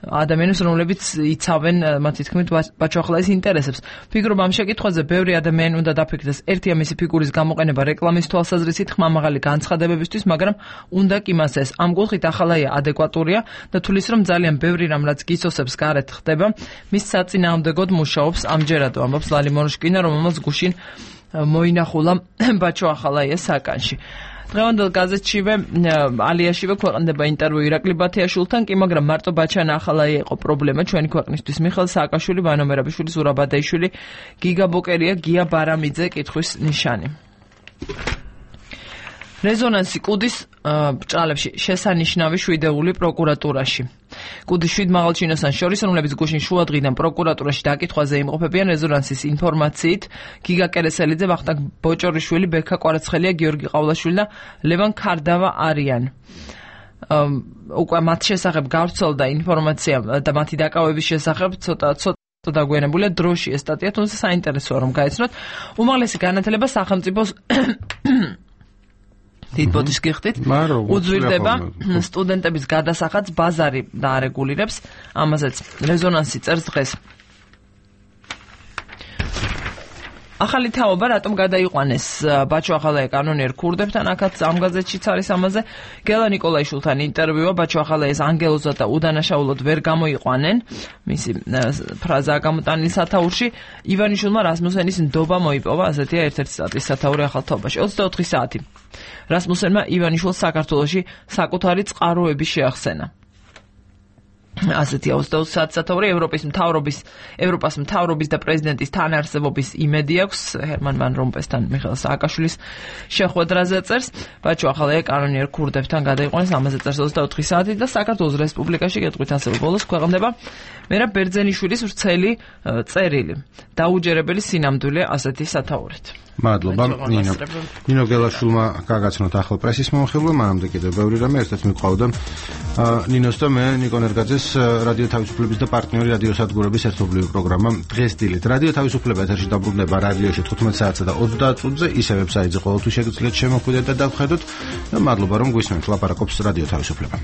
ადამიანებს, რომლებიც იცავენ მათი თქმით ბაჩო ახალაის ინტერესებს. ფიგურობ ამ შეკითხვაზე ბევრი ადამიანი უნდა დაფიქრდეს. ერთია მისი ფიგურის გამოყენება რეკლამის თვალსაზრისით ხმამაღალი განცხადებებისთვის, მაგრამ უნდა კი მას ეს. ამ კუთხით ახალაია ადეკვატურია და თulis რომ ძალიან ბევრი რამ რაც გისოსებს გარეთ ხდება, მის საწინააღმდეგოდ მუშაობს ამჯერადო, ამბობს ლალი მოროშკინა, რომელმაც გუშინ მოინახულა ბაჩო ახალაიას საკანში. დღევანდელ გაზეთშივე ალიაშივე ქვეყნდება ინტერვიუ ირაკლი ბათიაშვილთან კი, მაგრამ მარტო ბაჩანა ახალაი იყო პრობლემა ჩვენი ქვეყნისთვის. მიხეილ სააკაშვილი, ვანო მერაბიშვილი, ზურაბ ბადაიშვილი, გიგა ბოკერია, გია ბარამიძე კითხვის ნიშანი. რეზონანსი კუდის ბჭყალებში შესანიშნავი შვიდეული პროკურატურაში. კუდის შვიდ მაღალჩინოსან შორის, რომლებიც გუშინ შუადღიდან პროკურატურაში დაკითხვაზე იმყოფებიან რეზონანსის ინფორმაციით, გიგა კერესელიძე, ვახტანგ ბოჭორიშვილი, ბექა კვარაცხელია, გიორგი ყავლაშვილი და ლევან ქარდავა არიან. უკვე მათ შესახებ გავრცელდა ინფორმაცია და მათი დაკავების შესახებ ცოტა ცოტა დაგვიანებულია დროში ეს სტატია, თუმცა საინტერესოა რომ გაიცნოთ. უმაღლესი განათლება სახელმწიფოს თითბოდის გიხდით უძვირდება სტუდენტების გადასახადს ბაზარი დაარეგულირებს, ამაზეც რეზონანსი წერს დღეს. ახალი თაობა რატომ გადაიყვანეს ბაჩო ახალაია კანონიერ ქურდებთან, აქაც ამ გაზეთშიც არის ამაზე. გელა ნიკოლაიშვილთან ინტერვიუა, ბაჩო ახალაიას ანგელოზად და უდანაშაულოდ ვერ გამოიყვანენ, მისი ფრაზაა გამოტანილი სათაურში. ივანიშვილმა რასმუსენის ნდობა მოიპოვა, ასეთია ერთ-ერთი სტატიის სათაური ახალ თაობაში. ოცდაოთხი საათი რასმუსენმა ივანიშვილს საქართველოში საკუთარი წყაროები შეახსენა. ასეთია ოცდაოთხ საათი სათაური. ევროპის მთავრობის ევროპას მთავრობის და პრეზიდენტის თანაარსებობის იმედი აქვს. ჰერმან ვან რომპესთან მიხეილ სააკაშვილის შეხვედრაზე წერს. ბაჩო ახალაია კანონიერ ქურდებთან გადაიყვანეს, ამაზე წერს ოცდაოთხი საათი და საქართველოს რესპუბლიკაში კითხვით ასევე ბოლოს ქვეყნდება მერაბ ბერძენიშვილის ვრცელი წერილი. დაუჯერებელი სინამდვილე, ასეთი სათაურით. მადლობა ნინო. ნინო გელაშვილმა გაგაცნოთ ახალ პრესის მომხილვა, მანამდე კიდევ ბევრი რამე ერთად მიყვავდა. ნინოს და მე ნიკო ნერგაძეს რადიო თავისუფლების და პარტნიორი რადიო სადგურების ერთობლივი პროგრამა დღეს დილით. რადიო თავისუფლება ეთერში დაბრუნდება რადიოში თხუთმეტ საათსა და ოცდაათ წუთზე, ისე ვებსაიტზე ყოველთვის შეგიძლიათ შემოხვიდეთ და დავხედოთ. და მადლობა რომ გვისმენთ, ლაპარაკობს რადიო თავისუფლება.